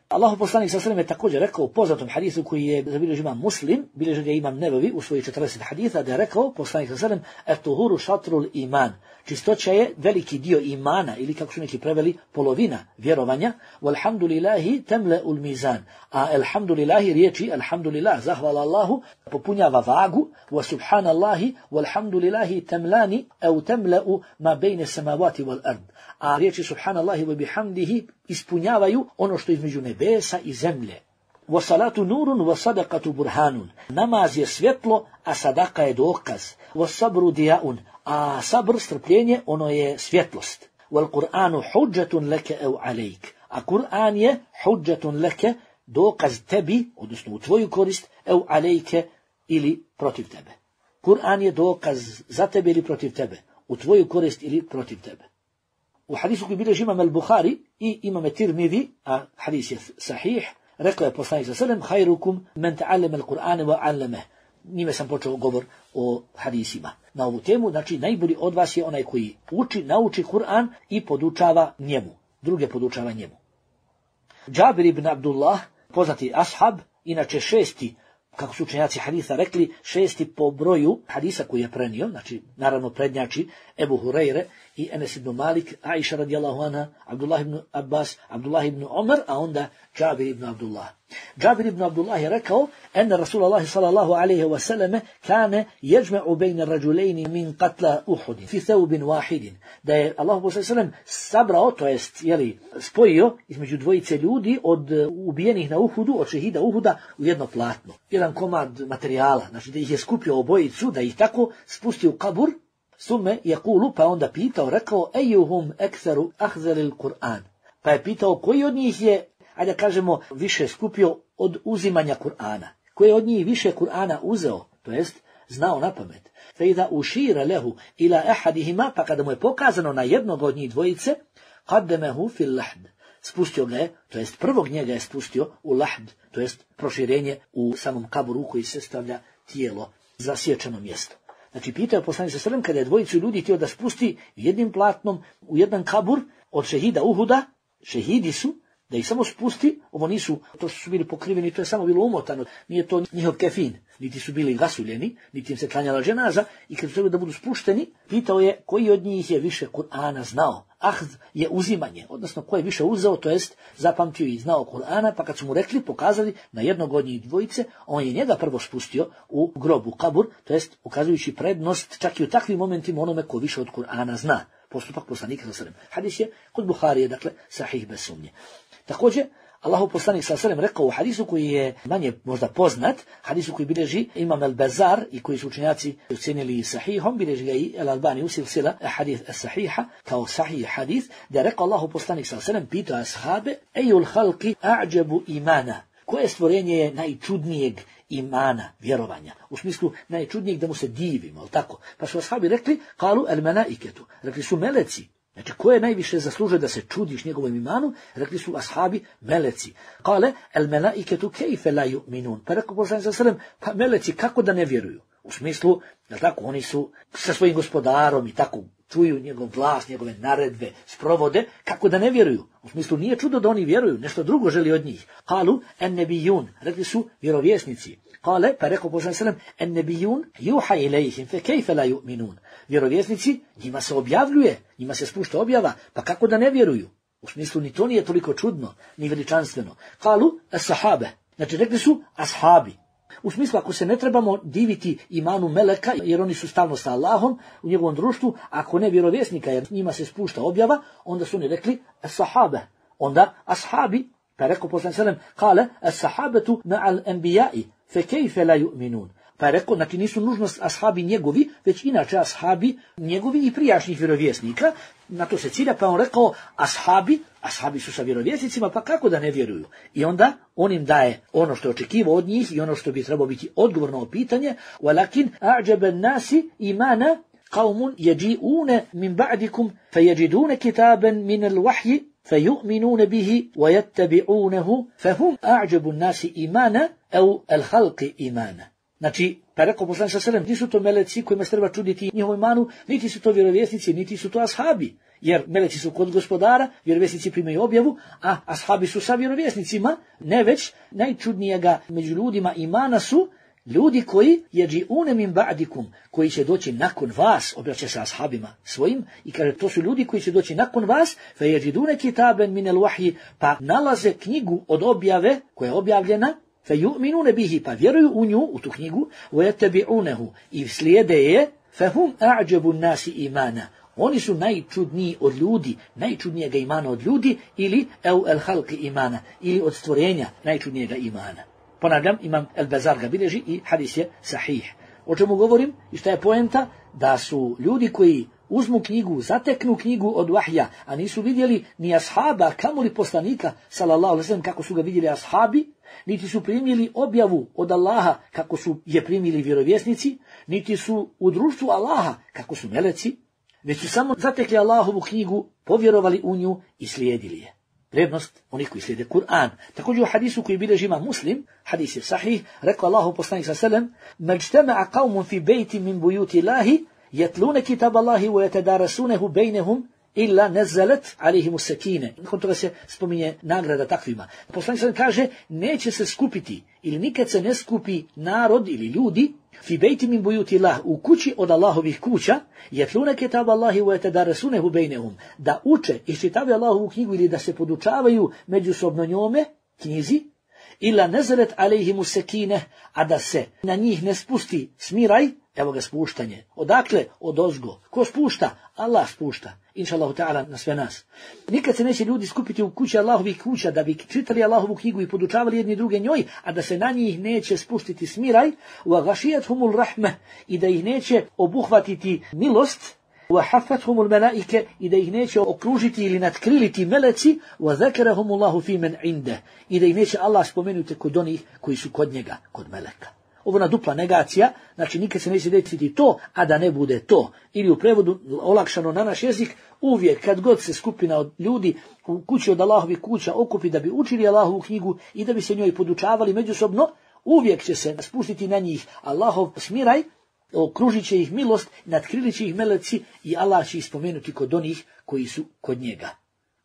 Allahu poslanik sallallahu alejhi ve sellem je također rekao u poznatom hadisu koji je zabilježio Imam Muslim, bilježi ga Imam Nevevi u svojih 40 hadisa, da je rekao poslanik sallallahu alejhi ve sellem et-tuhuru šatrul iman. Čistoća je veliki dio imana, ili kako su neki preveli, polovina vjerovanja. Walhamdulillahi tamla'ul mizan. A alhamdulillahi riječi alhamdulillah, zahvala Allahu, popunjava vagu. Wa subhanallahi walhamdulillahi tamlani au tamla'u ma bejne samavati wal ard. A riječi subhanallahi wa bihamdihi ispunjavaju ono što između nebesa i zemlje. Wa salatu nurun wa sadaqatu burhanun. Namaz je svjetlo, a sadaka je dokaz. Wa sabru dijaun. A sabr, strpljenje, ono je svjetlost. Wal Kur'anu hudžatun leke au alejk. A Kur'an je hudžatun leke, dokaz tebi, odnosno u tvoju korist, au alejke, ili protiv tebe. Kur'an je dokaz za tebe ili protiv tebe, u tvoju korist ili protiv tebe. U hadisu koji bilježi Imam al-Bukhari i Imam Tirmidhi, a hadis je sahih, rekao je poslanik sallallahu alejhi ve sellem khairukum man ta'allama al-Qur'ana wa 'allamahu. Njime sam počeo govor o hadisima na ovu temu. Znači, najbolji od vas je onaj koji nauči Kur'an i podučava njemu. Druge podučava njemu. Džabir ibn Abdullah, poznati ashab, inače šesti, kako su učenjaci hadisa rekli, šesti po broju hadisa koji je prenio, znači, naravno prednjači Ebu Hurajre i Enes ibn Malik, Aisha radijallahu anha, Abdullah ibn Abbas, Abdullah ibn Umar, a onda Džabir ibn Abdullah. Džabir ibn Abdullah je rekao, ene Rasulullahi sallallahu alaihi wa sallam kane jeđme'u bejne rađulejni min katla Uhudin, fi theubin wahidin. Da je Allah sallam sabrao, to jest, spojio između dvojice ljudi od ubijenih na Uhudu, od šehida Uhuda u jedno platno. Jedan komad materijala, znači da ih je skupio obojicu, da ih tako spustio u kabur, sume je kulu, pa onda pitao, rekao, ejuhum ekseru ahzelil Kur'an. Pa je pitao, koji od njih je, ajde da kažemo, više skupio od uzimanja Kur'ana. Koji je od njih više Kur'ana uzeo, to jest znao na pamet. Fe idha ušira lehu ila ahadihima, pa kada mu je pokazano na jednog od njih dvojice, qaddemehu fil lahd. Spustio ga je, to jest prvog njega je spustio u lahd, to jest proširenje u samom kaburu koji se stavlja tijelo za sječano mjesto. Znači, pitao poslanik sallallahu alejhi ve sellem kada je dvojicu ljudi htio da spusti jednim platnom u jedan kabur od šehida Uhuda, šehidi su, da ih samo spusti, ovo nisu, to su bili pokriveni, to je samo bilo umotano, nije to njihov kefin, niti su bili gasuljeni, niti im se klanjala dženaza, i kad su trebali da budu spušteni, pitao je koji od njih je više Kur'ana znao. Ahd je uzimanje, odnosno ko je više uzeo, to jest zapamtio i znao Kur'ana, pa kad su mu rekli, pokazali na jednog od njih dvojice, on je njega prvo spustio u grobu, kabur, to jest ukazujući prednost čak i u takvim momentima onome ko više od Kur'ana zna. Postupak poslanika sallallahu alejhi ve sellem. Hadis je kod Buharije, dakle sahih bez sumnje. Također, Allahu poslanik sallallahu alejhi ve sellem rekao u hadisu koji je manje možda poznat, hadisu koji bilježi Imam al-Bazar i koji su učenjaci ocenili sahihom, bilježi ga i al-Albani u silsila hadith as-sahiha, kao sahih hadis, da je rekao Allahu poslanik sallallahu alejhi ve sellem, pitao ashabe, ejul halki a'đabu imana. Koje stvorenje je najčudnijeg imana, vjerovanja? U smislu najčudnijeg da mu se divimo, ali tako? Pa su ashabi rekli, kalu al-malaiketu, rekli su meleci. Znači, ko je najviše zaslužio da se čudiš njegovom imanu? Rekli su ashabi, meleci. Kale, el melaiketu kejfe la yu'minun. Pa rekao poslanik sallallahu alejhi ve sellem, pa meleci kako da ne vjeruju? U smislu, jel tako, oni su sa svojim gospodarom i tako čuju njegov glas, njegove naredbe, sprovode, kako da ne vjeruju? U smislu, nije čudo da oni vjeruju, nešto drugo želi od njih. Kalu, en nebijun, rekli su vjerovjesnici. Kale, pa rekao poslanik sallallahu alejhi ve sellem, en nebijun juha ilejhim, fe kejfe la yu'minun. Vjerovjesnici, njima se objavljuje, njima se spušta objava, pa kako da ne vjeruju? U smislu, ni to nije toliko čudno, ni veličanstveno. Kalu, as-sahabe, znači rekli su ashabi. U smislu, ako se ne trebamo diviti imanu meleka, jer oni su stalno sa Allahom u njegovom društvu, ako ne vjerovjesnika, jer njima se spušta objava, onda su oni rekli as-sahabe. Onda ashabi, pa rekao poslanik sallallahu alejhi ve sellem, kale as-sahabetu ma'al anbiya'i, fe kejfe la yu'minun. Pa je rekao, znači nisu nužnost ashabi njegovi, već inače ashabi njegovi i prijašnjih vjerovjesnika. Na to se cilja, pa on rekao, ashabi su sa vjerovjesnicima, pa kako da ne vjeruju? I onda on im daje ono što je očekivao od njih i ono što bi trebalo biti odgovor na pitanje. Walakin a'jaba an-nasi imana qaumun yaji'una min ba'dikum fayajiduna kitaban min al-wahyi فيؤمنون به ويتبعونه فهم أعجب الناس إيمانا أو الخلق إيمانا. Znači, pa rekao poslanik sallallahu alejhi ve sellem, nisu to meleci kojima se treba čuditi njihovu imanu, niti su to vjerovjesnici, niti su to ashabi. Jer meleci su kod gospodara, vjerovjesnici primaju objavu, a ashabi su sa vjerovjesnicima, ne već najčudnijega među ljudima imana su ljudi koji jeđi'une min ba'dikum, koji će doći nakon vas, obraća se ashabima svojim i kaže to su ljudi koji će doći nakon vas, fe jeđidune kitaben min al-wahyi, pa nalaze knjigu od objave koja je objavljena, fe yu'minune bihi, pa vjeruju u nju, u tu knjigu, wa yattabi'unehu, i slijede je, fe hum a'jabu nasi imana. Oni su najčudniji od ljudi, najčudnijega imana od ljudi, ili el halqi imana, ili od stvorenja najčudnijega imana. Ponavljam, imam El-Bazar ga bilježi i hadis je sahih. O čemu govorim i šta je poenta? Da su ljudi koji uzmu knjigu, zateknu knjigu od vahja, a nisu vidjeli ni ashaba, kamoli poslanika, sallallahu alejhi ve sellem, kako su ga vidjeli ashabi, niti su primili objavu od Allaha, kako su je primili vjerovjesnici, niti su u društvu Allaha, kako su meleci, već su samo zatekli Allahovu knjigu, povjerovali u nju i slijedili je. Prednost onih koji slijede Kur'an. Također u hadisu koji bilježi ima Muslim, hadis je sahih, rekao Allahu poslanik sallallahu alejhi ve sellem: "Majtama'a qaumun fi bejtin min buyuti Allahi yatluna kitab Allahi wa yatadarasunahu bainahum illa nazalat alejhim as-sakine." Nakon toga se spominje nagrada takvima. Poslanik sallallahu kaže, neće se skupiti ili nikad se ne skupi narod ili ljudi fi bejtin min buyuti Allah, u kući od Allahovih kuća, yatluna kitab Allahi wa yatadarasunahu bainahum, da uče i čitaju Allahovu knjigu ili da se podučavaju međusobno njome, knjizi, illa nazalat alejhim as-sakine, a da se na njih ne spusti smiraj, evo ga spuštanje. Odakle? Odozgo. Ko spušta? Allah spušta. Inšallahu ta'ala na sve nas. Nikad se neće ljudi skupiti u kući Allahovih kuća da bi čitali Allahovu knjigu i podučavali jedni druge njoj, a da se na njih neće spustiti smiraj, wa ghashiyatuhumul rahmeh, i da ih neće obuhvatiti milost, wa haffathumul malaike, i da ih neće okružiti ili natkriliti meleci, wa zakarahumullahu fi man inde, i da ih neće Allah spomenuti kod onih koji su kod njega, kod meleka. Ovo je dupla negacija, znači nikad se neće desiti to, a da ne bude to. Ili u prevodu olakšano na naš jezik, uvijek kad god se skupina od ljudi u kući od Allahovih kuća okupi da bi učili Allahovu knjigu i da bi se njoj podučavali međusobno, uvijek će se spustiti na njih Allahov smiraj, okružit će ih milost, natkrilit će ih meleci i Allah će ih spomenuti kod onih koji su kod njega.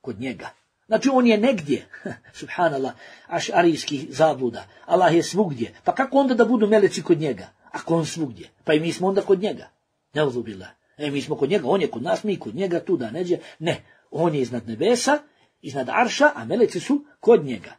Kod njega. Znači on je negdje, subhanallah, ašarijskih zabluda. Allah je svugdje. Pa kako onda da budu meleci kod njega? Ako on svugdje. Pa i mi smo onda kod njega. Neuzubillah. Mi smo kod njega, on je kod nas, mi kod njega, tu da neđe. Ne, on je iznad nebesa, iznad arša, a meleci su kod njega.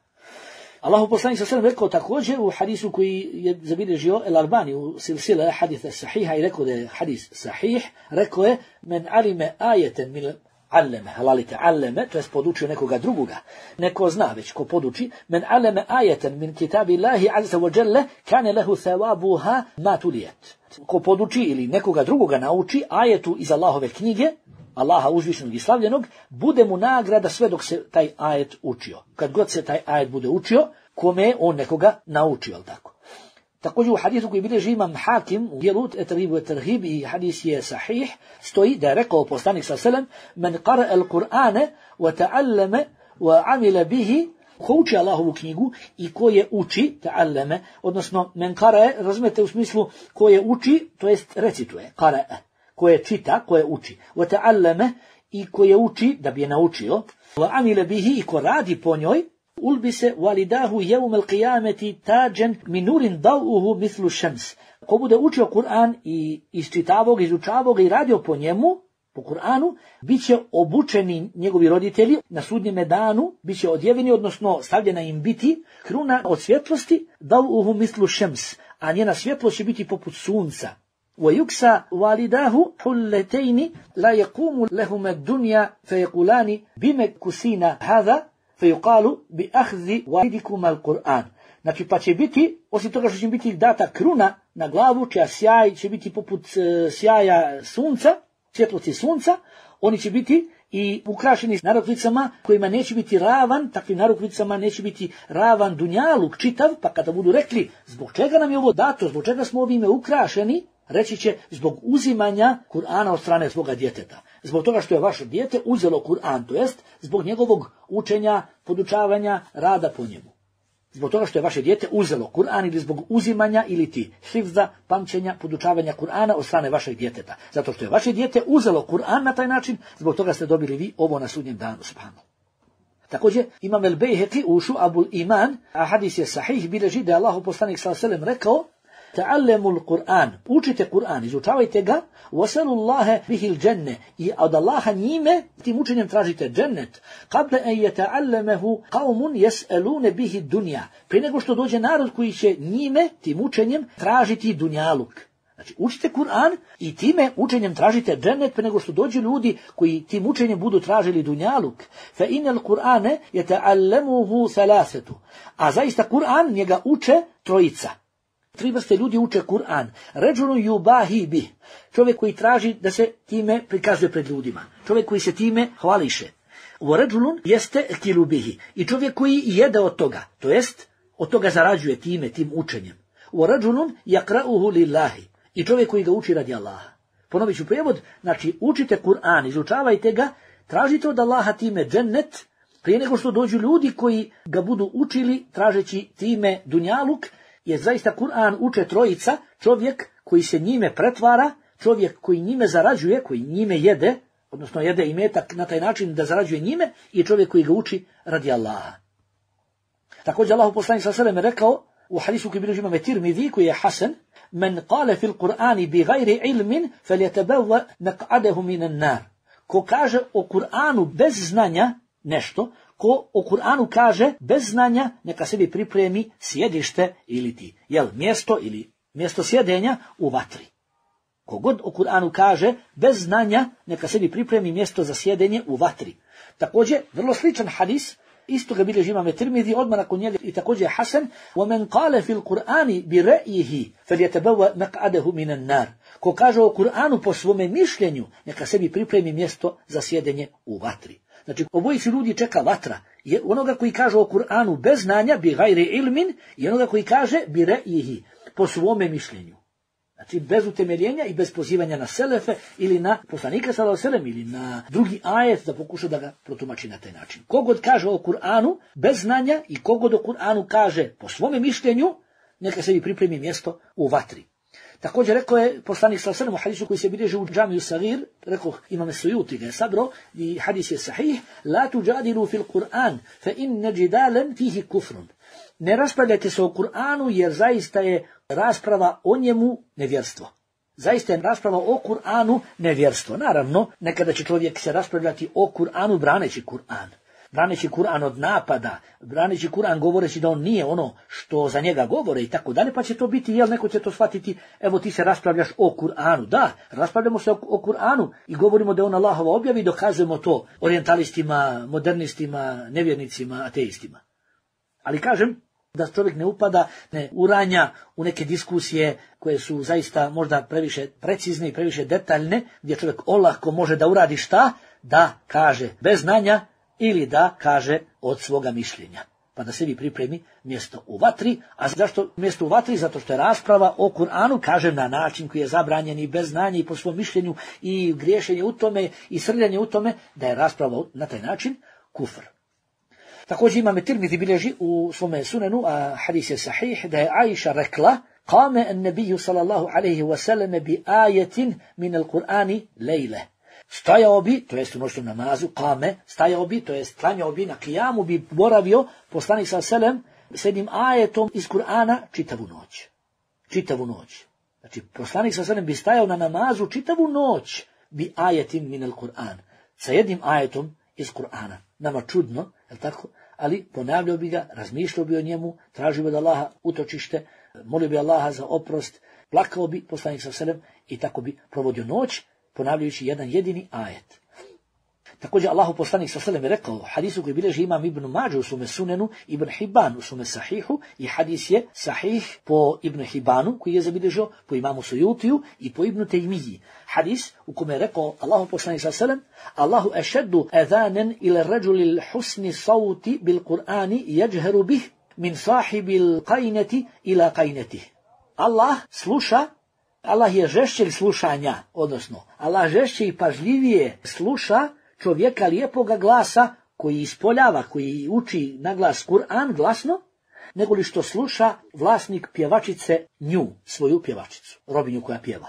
Allahu poslanik sallallahu alejhi ve sellem rekao također u hadisu koji je zabilježio El-Albani u silsile hadisa sahiha i rekao da je hadis sahih, rekao je: "Men alime ajeten min alleme, halalite alleme, to je podučio nekoga drugoga. Neko zna već ko poduči, men alleme ajeten min kitabillahi azza wa jalla, kane lehu thawabuha ma tulijet." Ko poduči ili nekoga drugoga nauči ajetu iz Allahove knjige, Allaha uzvišenog i slavljenog, bude mu nagrada sve dok se taj ajet učio. Kad god se taj ajet bude učio, kome je on nekoga naučio, tako. Također u hadisu koji bilježi imam Hakim u dijelu Etribu Etrhib i hadis je sahih, stoji da je rekao poslanik sallallahu alejhi ve sellem: "Men qara al-Qur'ana wa ta'allama wa 'amila bihi", ko uči Allahovu knjigu i ko je uči, ta'allama, odnosno men qara, razumete u smislu ko je uči, to jest recituje, qara, ko je čita, ko je uči, wa ta'allama, i ko je uči da bi je naučio, wa 'amila bihi, i ko radi po njoj, ulbise walidahu yawm al-qiyamati tajan min nurin dawuhu mithlu shams. Ko bude učio Kur'an i isčitavao ga, izučavao ga i radio po njemu, po Kur'anu, bit će obučeni njegovi roditelji na sudnjem danu, bit će odjeveni, odnosno stavljena im biti kruna od svjetlosti, dawuhu mithlu shams, a njena svjetlost će biti poput sunca. ويكسى والداه حلتين لا يقوم لهما الدنيا فيقولان بما كسينا هذا فيقال بأخذ والدكما القرآن. Znači pa će biti, osim toga što će biti data kruna na glavu, čija sjaj će biti poput sjaja sunca, svjetlosti sunca, oni će biti i ukrašeni narukvicama kojima neće biti ravan, takvim narukvicama neće biti ravan dunjaluk čitav, pa kada budu rekli zbog čega nam je ovo dato, zbog čega smo ovime ukrašeni, reći će zbog uzimanja Kur'ana od strane svoga djeteta. Zbog toga što je vaše dijete uzelo Kur'an, to jest zbog njegovog učenja, podučavanja, rada po njemu. Zbog toga što je vaše dijete uzelo Kur'an ili zbog uzimanja ili ti hifza, pamćenja, podučavanja Kur'ana od strane vašeg djeteta. Zato što je vaše dijete uzelo Kur'an na taj način, zbog toga ste dobili vi ovo na sudnjem danu, subhanallah. Također, Imam el-Bejheqi u Šu'abul Iman, a hadis je sahih, bilježi da je Allahu poslanik sallallahu alejhi ve sellem rekao: "Ta'allamul Kur'an", učite Kur'an, izučavajte ga, wasalullaha bihil dženne, i od Allaha njime, tim učenjem tražite džennet, qabla an yata'allamahu qaumun yas'aluna bihi dunya, prije nego što dođe narod koji će njime, tim učenjem, tražiti dunjaluk. Znači, učite Kur'an i time učenjem tražite džennet prije nego što dođu ljudi koji tim učenjem budu tražili dunjaluk. Fa inal Kur'ane yata'allamuhu thalathatu, a zaista Kur'an njega uče trojica. Tri vrste ljudi uče Kur'an. Ređulun yubahi bih, čovjek koji traži da se time prikazuje pred ljudima. Čovjek koji se time hvališe. Ređulun jeste kilu bihi, i čovjek koji jede od toga, to jest od toga zarađuje time, tim učenjem. Ređulun yaqra'uhu lillahi, i čovjek koji ga uči radi Allaha. Ponovit ću prijevod, znači učite Kur'an, izučavajte ga, tražite od Allaha time džennet, prije nego što dođu ljudi koji ga budu učili tražeći time dunjaluk, jer zaista Kur'an uče trojica, čovjek koji se njime pretvara, čovjek koji njime zarađuje, koji njime jede, odnosno jede imetak na taj način da zarađuje njime, i čovjek koji ga uči radi Allaha. Također Allahu poslanik sallallahu alejhi ve sellem rekao u hadisu koji bilježi Imam Tirmidhi, koji je hasan: "Men qala fil Qur'ani bi ghairi ilmin falyatabawwa maq'adahu minan nar." Ko kaže o Kur'anu bez znanja nešto, ko o Kur'anu kaže bez znanja, neka sebi pripremi sjedište ili ti, mjesto sjedenja u vatri. Kogod o Kur'anu kaže bez znanja, neka sebi pripremi mjesto za sjedenje u vatri. Također, vrlo sličan hadis, isto ga bilježi Imam Tirmidhi, odmah nakon njega i također hasan: "Wa qala fil Qur'ani bi ra'yihi falyatabawwa maq'adahu minan nar." Ko kaže o Kur'anu po svome mišljenju, neka sebi pripremi mjesto za sjedenje u vatri. Znači, obojici ljudi čeka vatra. Je onoga koji kaže o Kur'anu bez znanja, bi gajri ilmin, i onoga koji kaže bi re'ihi, po svome mišljenju. Znači, bez utemeljenja i bez pozivanja na selefe ili na poslanika sallallahu alejhi ve sellem ili na drugi ajet da pokuša da ga protumači na taj način. Kogod kaže o Kur'anu bez znanja i kogod o Kur'anu kaže po svome mišljenju, neka sebi pripremi mjesto u vatri. Također rekao je poslanik sallallahu alejhi ve sellem u hadisu koji se bilježi u Džamiju Sagir, rekao Imam Sujuti ga je sabrao i hadis je sahih: "La tujadilu fil Qur'an fa inna jidalan fihi kufrun." Ne raspravljajte se o Kur'anu jer zaista je rasprava o njemu nevjerstvo. Zaista je rasprava o Kur'anu nevjerstvo. Naravno, nekada će čovjek se raspravljati o Kur'anu braneći Kur'an. Braneći Kur'an od napada, braneći Kur'an govoreći da on nije ono što za njega govore i tako dalje, pa će to biti, neko će to shvatiti, evo ti se raspravljaš o Kur'anu. Da, raspravljamo se o Kur'anu i govorimo da je on Allahova objavi i dokazujemo to orijentalistima, modernistima, nevjernicima, ateistima. Ali kažem da čovjek ne upada, ne uranja u neke diskusije koje su zaista možda previše precizne i previše detaljne, gdje čovjek olako može da uradi šta? Da kaže bez znanja ili da kaže od svoga mišljenja. pa da sebi pripremi mjesto u vatri. A zašto mjesto u vatri? Zato što je rasprava o Kur'anu, kažem, na način koji je zabranjen i bez znanja i po svom mišljenju i griješenje u tome i srljanje u tome, da je rasprava na taj način kufr. Također Imam Tirmidhi bilježi u svome sunenu, a hadis je sahih, da je Aisha rekla: Qame an-nabiyyu sallallahu alejhi ve sellem bi ayatin min al-Qur'ani lejle. Stajao bi, to jest u noćnom namazu, kame, stajao bi, to jest klanjao bi, na kijamu bi boravio poslanik sallallahu alejhi ve sellem s jednim ajetom iz Kur'ana čitavu noć. Čitavu noć. Znači, poslanik sallallahu alejhi ve sellem bi stajao na namazu čitavu noć bi ajetin min al-Qur'an. Sa jednim ajetom iz Kur'ana. Nama čudno, je tako? Ali ponavljao bi ga, razmišljao bi o njemu, tražio bi od Allaha utočište, molio bi Allaha za oprost, plakao bi poslanik sallallahu alejhi ve sellem i tako bi provodio noć, ponavljajući jedan jedini ajet. Također Allahu poslanik sallallahu alejhi ve sellem je rekao, hadisu koji bilježi Imam Ibn Mađe u svome sunenu, Ibn Hibban u svome sahihu, i hadis je sahih po Ibn Hibbanu, koji je zabilježio, po Imamu Sujutiju i po Ibn Tejmiji. Hadis u kome je rekao Allahu poslanik sallallahu alejhi ve sellem: Allahu ešeddu adhanan ila rajuli husni sauti bil Qur'ani yajharu bih min sahibil qainati ila qainatih. Allah sluša, Allah je žešće slušanja, odnosno Allah žešće i pažljivije sluša čovjeka lijepoga glasa koji ispoljava, koji uči na glas Kur'an glasno, nego li što sluša vlasnik pjevačice nju, svoju pjevačicu, robinju koja pjeva.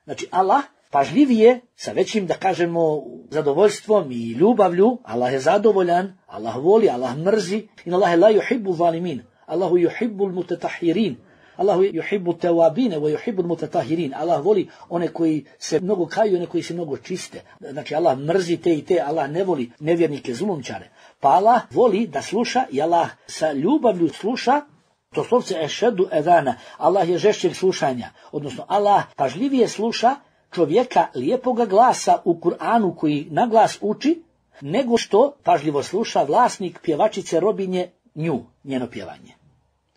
Znači Allah pažljivije, sa većim, da kažemo, zadovoljstvom i ljubavlju, Allah je zadovoljan, Allah voli, Allah mrzi, in Allah la yuhibbu zalimin, Allahu yuhibbu al-mutatahirin. Allahu yuhibbu tawabine wa yuhibbu al-mutatahirin. Allah voli one koji se mnogo kaju, one koji se mnogo čiste. Znači Allah mrzi te i te, Allah ne voli nevjernike, zulumčare. Pa Allah voli da sluša i Allah sa ljubavlju sluša, to slovce ešedu edana. Allah je žešćeg slušanja, odnosno Allah pažljivije sluša čovjeka lijepoga glasa u Kur'anu koji na glas uči, nego što pažljivo sluša vlasnik pjevačice robinje nju, njeno pjevanje.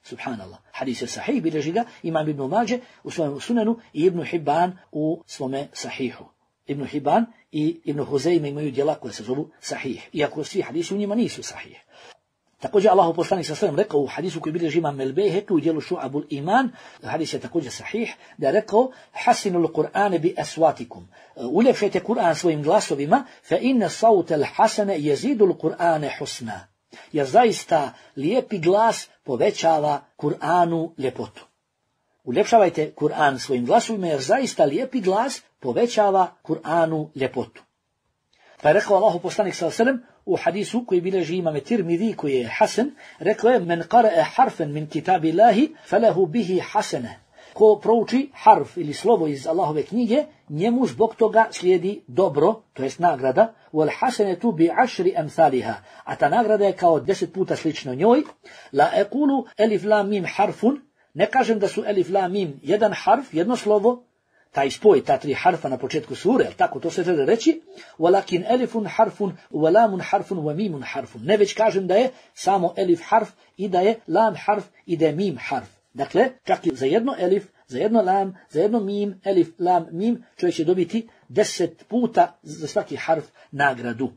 Subhanallah. Hadis je sahih, bilježi ga Imam Ibn Mađe u svojem sunenu i Ibn Hibban u svome sahihu. Ibn Hibban i Ibn Huzeyme imaju djela koje se zovu sahih, iako svi hadisi u njima nisu sahih. Također Allahu poslanik sallallahu alejhi ve sellem rekao u hadisu koji bilježi Imam al-Bejheki u djelu Šu'abul Iman, hadis je također sahih, da je rekao: Hasinul Qur'ane bi aswatikum. Uljepšajte Kur'an svojim glasovima, fa inna sauta al-hasana yazidu al-Qur'ane husna. Jer zaista lijepi glas povećava Kur'anu ljepotu. Uljepšavajte Kur'an svojim glasovima, jer zaista lijepi glas povećava Kur'anu ljepotu. Pa je rekao Allahu poslanik sallallahu alejhi ve sellem u hadisu koji bilježi Imam Tirmidhi, koji je hasan, rekao je: Men qara'a harfan min kitabillahi falahu bihi hasana. Ko prouči harf ili slovo iz Allahove knjige, njemu zbog toga slijedi dobro, to jest nagrada, wal hasanatu bi 10 amsalha, a ta nagrada je kao 10 puta slično njoj. La aqulu alif lam mim harfun, ne kažem da su alif lam mim jedan harf, jedno slovo, taj spoj, ta tri harfa na početku sure, tako to se želi reći, walakin alifun harfun, wa lamun harfun, wa mimun harfun. Ne već kažem da je samo elif harf i da je lam harf i da je mim harf. Dakle, čak i za jedno elif, za jedno lam, za jedno mim, elif, lam, mim, čovjek će dobiti 10 puta za svaki harf nagradu.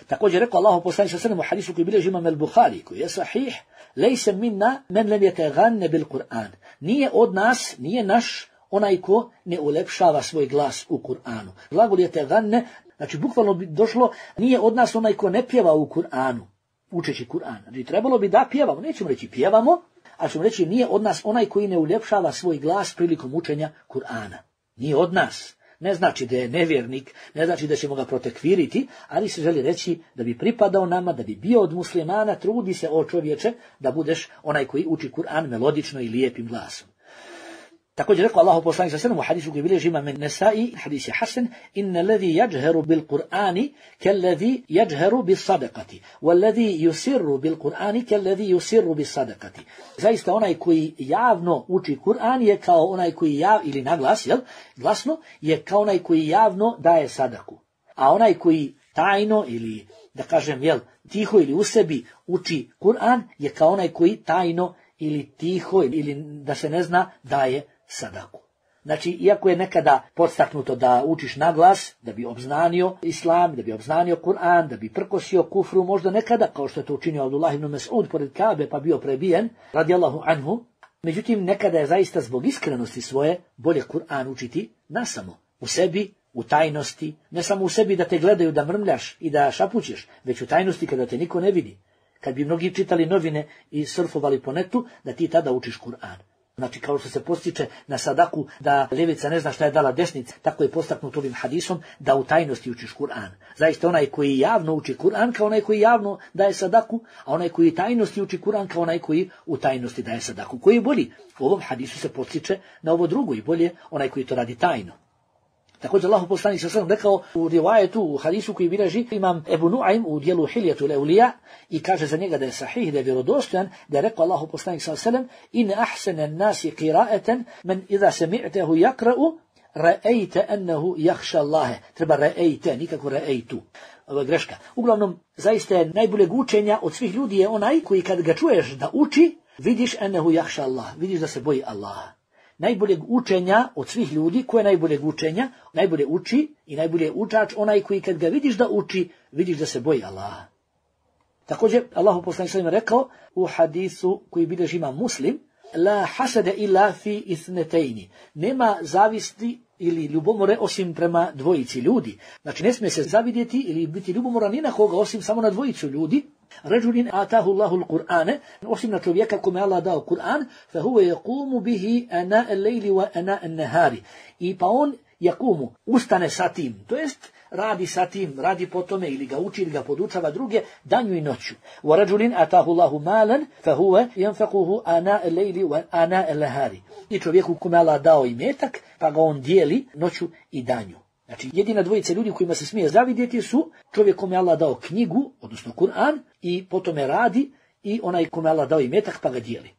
Također rekao Allahu poslanik sallallahu alejhi ve sellem u hadisu koji bilježi Imam al-Buhari, koji je sahih: Lejse minna men lam yataghanna bil Qur'an. Nije od nas, nije naš onaj ko ne ulepšava svoj glas u Kur'anu. Glagol je teganne, znači bukvalno bi došlo, nije od nas onaj ko ne pjeva u Kur'anu, učeći Kur'an. Znači trebalo bi da pjevamo, nećemo reći pjevamo, ali ćemo reći nije od nas onaj koji ne uljepšava svoj glas prilikom učenja Kur'ana. Nije od nas. Ne znači da je nevjernik, ne znači da ćemo ga protekviriti, ali se želi reći da bi pripadao nama, da bi bio od muslimana, trudi se o čovječe da budeš onaj koji uči Kur'an melodično i lijepim glasom. Također rekao Allahu poslanik sallallahu alejhi ve sellem u hadisu koji bilježi Imam an-Nasa'i, hadis je hasan: Inna alladhi yajharu bil Qur'ani kalladhi yajharu bis sadaqati, walladhi yusirru bil Qur'ani kalladhi yusirru bis sadaqati. Zaista onaj koji javno uči Kur'an je kao onaj koji ili naglas, glasno, je kao onaj koji javno daje sadaku. A onaj koji tajno ili da kažem tiho ili u sebi uči Kur'an je kao onaj koji tajno ili tiho ili da se ne zna daje sadaku. Znači, iako je nekada podstaknuto da učiš na glas, da bi obznanio islam, da bi obznanio Kur'an, da bi prkosio kufru, možda nekada, kao što je to učinio Abdullah ibn Mas'ud pored Kabe, pa bio prebijen, radijallahu anhu. Međutim, nekada je zaista zbog iskrenosti svoje bolje Kur'an učiti nasamo, u sebi, u tajnosti, ne samo u sebi da te gledaju, da mrmljaš i da šapućeš, već u tajnosti kada te niko ne vidi. Kad bi mnogi čitali novine i surfovali po netu, da ti tada učiš Kur'an. Znači, kao što se postiče na sadaku da ljevica ne zna šta je dala desnica, tako je postaknut ovim hadisom da u tajnosti učiš Kur'an. Zaista onaj koji javno uči Kur'an kao onaj koji javno daje sadaku, a onaj koji tajnosti uči Kur'an kao onaj koji u tajnosti daje sadaku. Koji je bolji? U ovom hadisu se postiče na ovo drugo i bolje onaj koji to radi tajno. Također Allahu poslanik sallallahu alejhi ve sellem rekao u rivajetu, u hadisu koji bilježi imam Ebu Nuaym u dijelu Hiljatul Awliya i kaže za njega da je sahih, da je vjerodostojan, da je rekao Allahu poslanik sallallahu alejhi ve sellem: "In ahsana an-nasi qira'atan man idha sami'tahu yaqra'u ra'ayta annahu yakhsha Allah." Treba ra'ayta, nikako ra'aytu. Ovo je greška. Uglavnom, zaista je najboljeg učenja od svih ljudi je onaj koji kad ga čuješ da uči, vidiš annahu yakhsha Allah, vidiš da se boji Allaha. Najboljeg učenja od svih ljudi, ko je najboljeg učenja, najbolje uči i najbolje učač, onaj koji kad ga vidiš da uči, vidiš da se boji Allaha. Također, Allahu poslanik sallallahu alejhi ve sellem rekao u hadisu koji bilježi imam Muslim: "La hasada illa fi ithnatayn." Nema zavisti ili ljubomore osim prema dvojici ljudi. Znači, ne smije se zavidjeti ili biti ljubomoran ni na koga osim samo na dvojicu ljudi. Rajulin atahu Allahu al-Qur'ane, osim na čovjeka kome Allah dao Kur'an, fa huwa yaqumu bihi ana al-layli wa ana an-nahari. I pa on yaqumu, ustane sa tim, to jest radi sa tim, radi po tome ili ga uči ili ga podučava druge danju i noću. Wa rajulin atahu Allahu malan, fa huwa yanfaquhu ana al-layli wa ana an-nahari. I čovjeku kome Allah dao imetak, pa ga on dijeli noću i danju. Znači, jedina dvojica ljudi kojima se smije zavidjeti su čovjek kome Allah dao knjigu, odnosno Kur'an, i potom je radi, i onaj kome Allah dao imetak pa ga dijeli.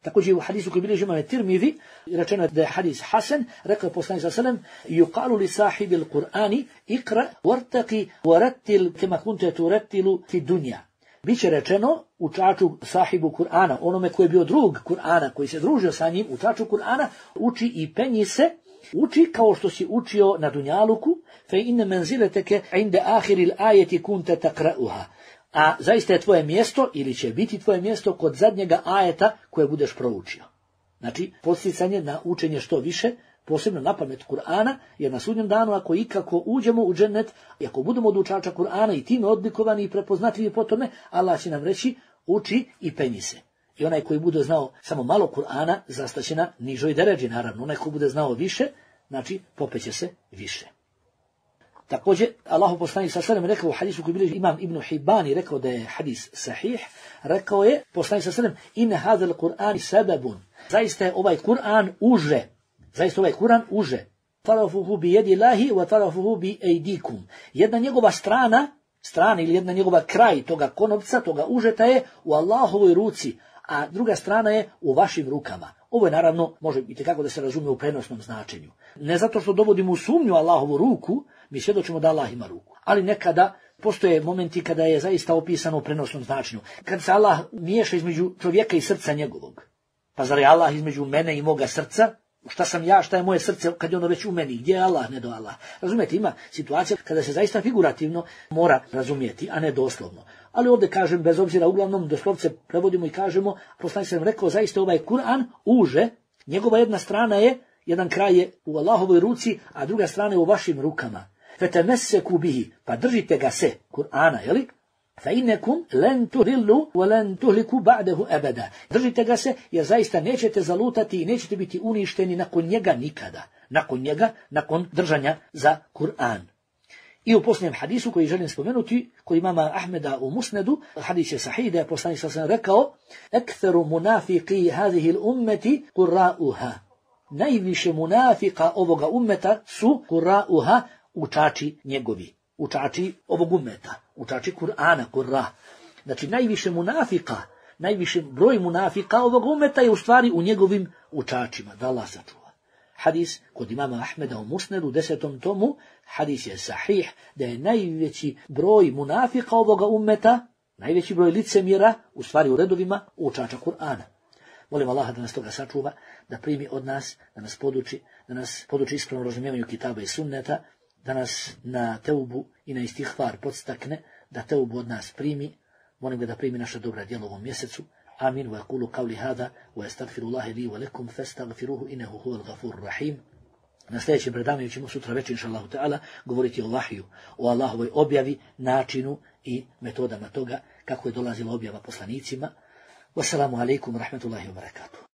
Također u hadisu koji bilježi imam Tirmizi, rečeno je da je hadis hasan, rekao je poslanik sallallahu alejhi ve sellem: "Yuqalu li sahibil Qur'ani iqra wartaqi warattil kama kunta turattilu fi dunya." Biće rečeno učaču sahibu Kur'ana, onome koji je bio drug Kur'ana, koji se družio sa njim, učaču Kur'ana, uči i penji se, uči kao što si učio na dunjaluku, fe inne menzileteke inde ahiril ajeti kunte takra'uha. A zaista je tvoje mjesto, ili će biti tvoje mjesto, kod zadnjega ajeta koje budeš proučio. Znači, posticanje na učenje što više, posebno na pamet Kur'ana, jer na sudnjem danu, ako ikako uđemo u džennet, i ako budemo od učača Kur'ana i time odlikovani i prepoznatljivi po tome, Allah će nam reći: uči i penji se. I onaj koji bude znao samo malo Kur'ana, zastaće na nižoj deređi, naravno. Onaj koji bude znao više, znači popeće se više. Također, Allahu poslanik sallallahu alejhi ve sellem rekao u hadisu koji bilježi imam Ibn Hibban, rekao da je hadis sahih, rekao je poslanik sallallahu alejhi ve sellem: "In hadha al-Qur'an sababun." Zaista je ovaj Kur'an uže. Zaista ovaj Kur'an uže. Tarafuhu bi yadillahi wa tarafuhu bi aydikum. Jedna njegova strana ili jedna njegova kraj toga konopca, toga užeta je u Allahovoj ruci, a druga strana je u vašim rukama. Ovo je naravno, može biti kako da se razumije u prenosnom značenju. Ne zato što dovodimo u sumnju Allahovu ruku, mi svjedočimo da Allah ima ruku. Ali nekada postoje momenti kada je zaista opisano u prenosnom značenju. Kad se Allah miješa između čovjeka i srca njegovog. Pa zar je Allah između mene i moga srca? Šta sam ja, šta je moje srce kad je ono već u meni? Gdje je Allah, ne do Allah? Razumijete, ima situacija kada se zaista figurativno mora razumijeti, a ne doslovno. Ali ovdje kažem, bez obzira, uglavnom doslovce prevodimo i kažemo, poslanik sam rekao, zaista ovaj Kur'an uže, njegova jedna strana je, jedan kraj je u Allahovoj ruci, a druga strana je u vašim rukama. Fetemesseku bihi, pa držite ga se, Kur'ana, jeli? Fa innakum lan tudillu wa lan tuhliku ba'dahu abada. Držite ga se, jer zaista nećete zalutati i nećete biti uništeni nakon njega nikada. Nakon njega, nakon držanja za Kur'an. I u posljednjem hadisu koji želim spomenuti, koji imama Ahmeda u Musnedu, hadis je sahih, da je poslanik sallallahu alejhi ve sellem rekao: "Aktharu munafiqi hadhihi al-ummati qurra'uha." Najviše munafika ovoga ummeta su qurra'uha, učači njegovi. Učači ovog ummeta, učači Kur'ana, Kur'ra. Znači, najviše munafika, najviše broj munafika ovog ummeta je u stvari u njegovim učačima, da Allah sačuva. Hadis kod imama Ahmeda u Musnedu, 10. tomu, hadis je sahih, da je najveći broj munafika ovoga ummeta, najveći broj licemjera, u stvari u redovima učača Kur'ana. Molim Allaha da nas toga sačuva, da primi od nas, da nas poduči ispravnom razumijevanju kitaba i sunneta, da nas na teubu i na istihvar podstakne, da teubu od nas primi. Molim ga da primi naša dobra djela u ovom mjesecu. Amin. Wa yaqulu qawli hada wa astaghfirullaha li wa lakum fastaghfiruhu innahu huwal ghafurur rahim. Na sljedećem predavanju ćemo sutra večer inshallah ta'ala govoriti o vahiju, o Allahovoj objavi, načinu i metodama toga kako je dolazila objava poslanicima. Wassalamu alaikum wa rahmatullahi wa barakatuh.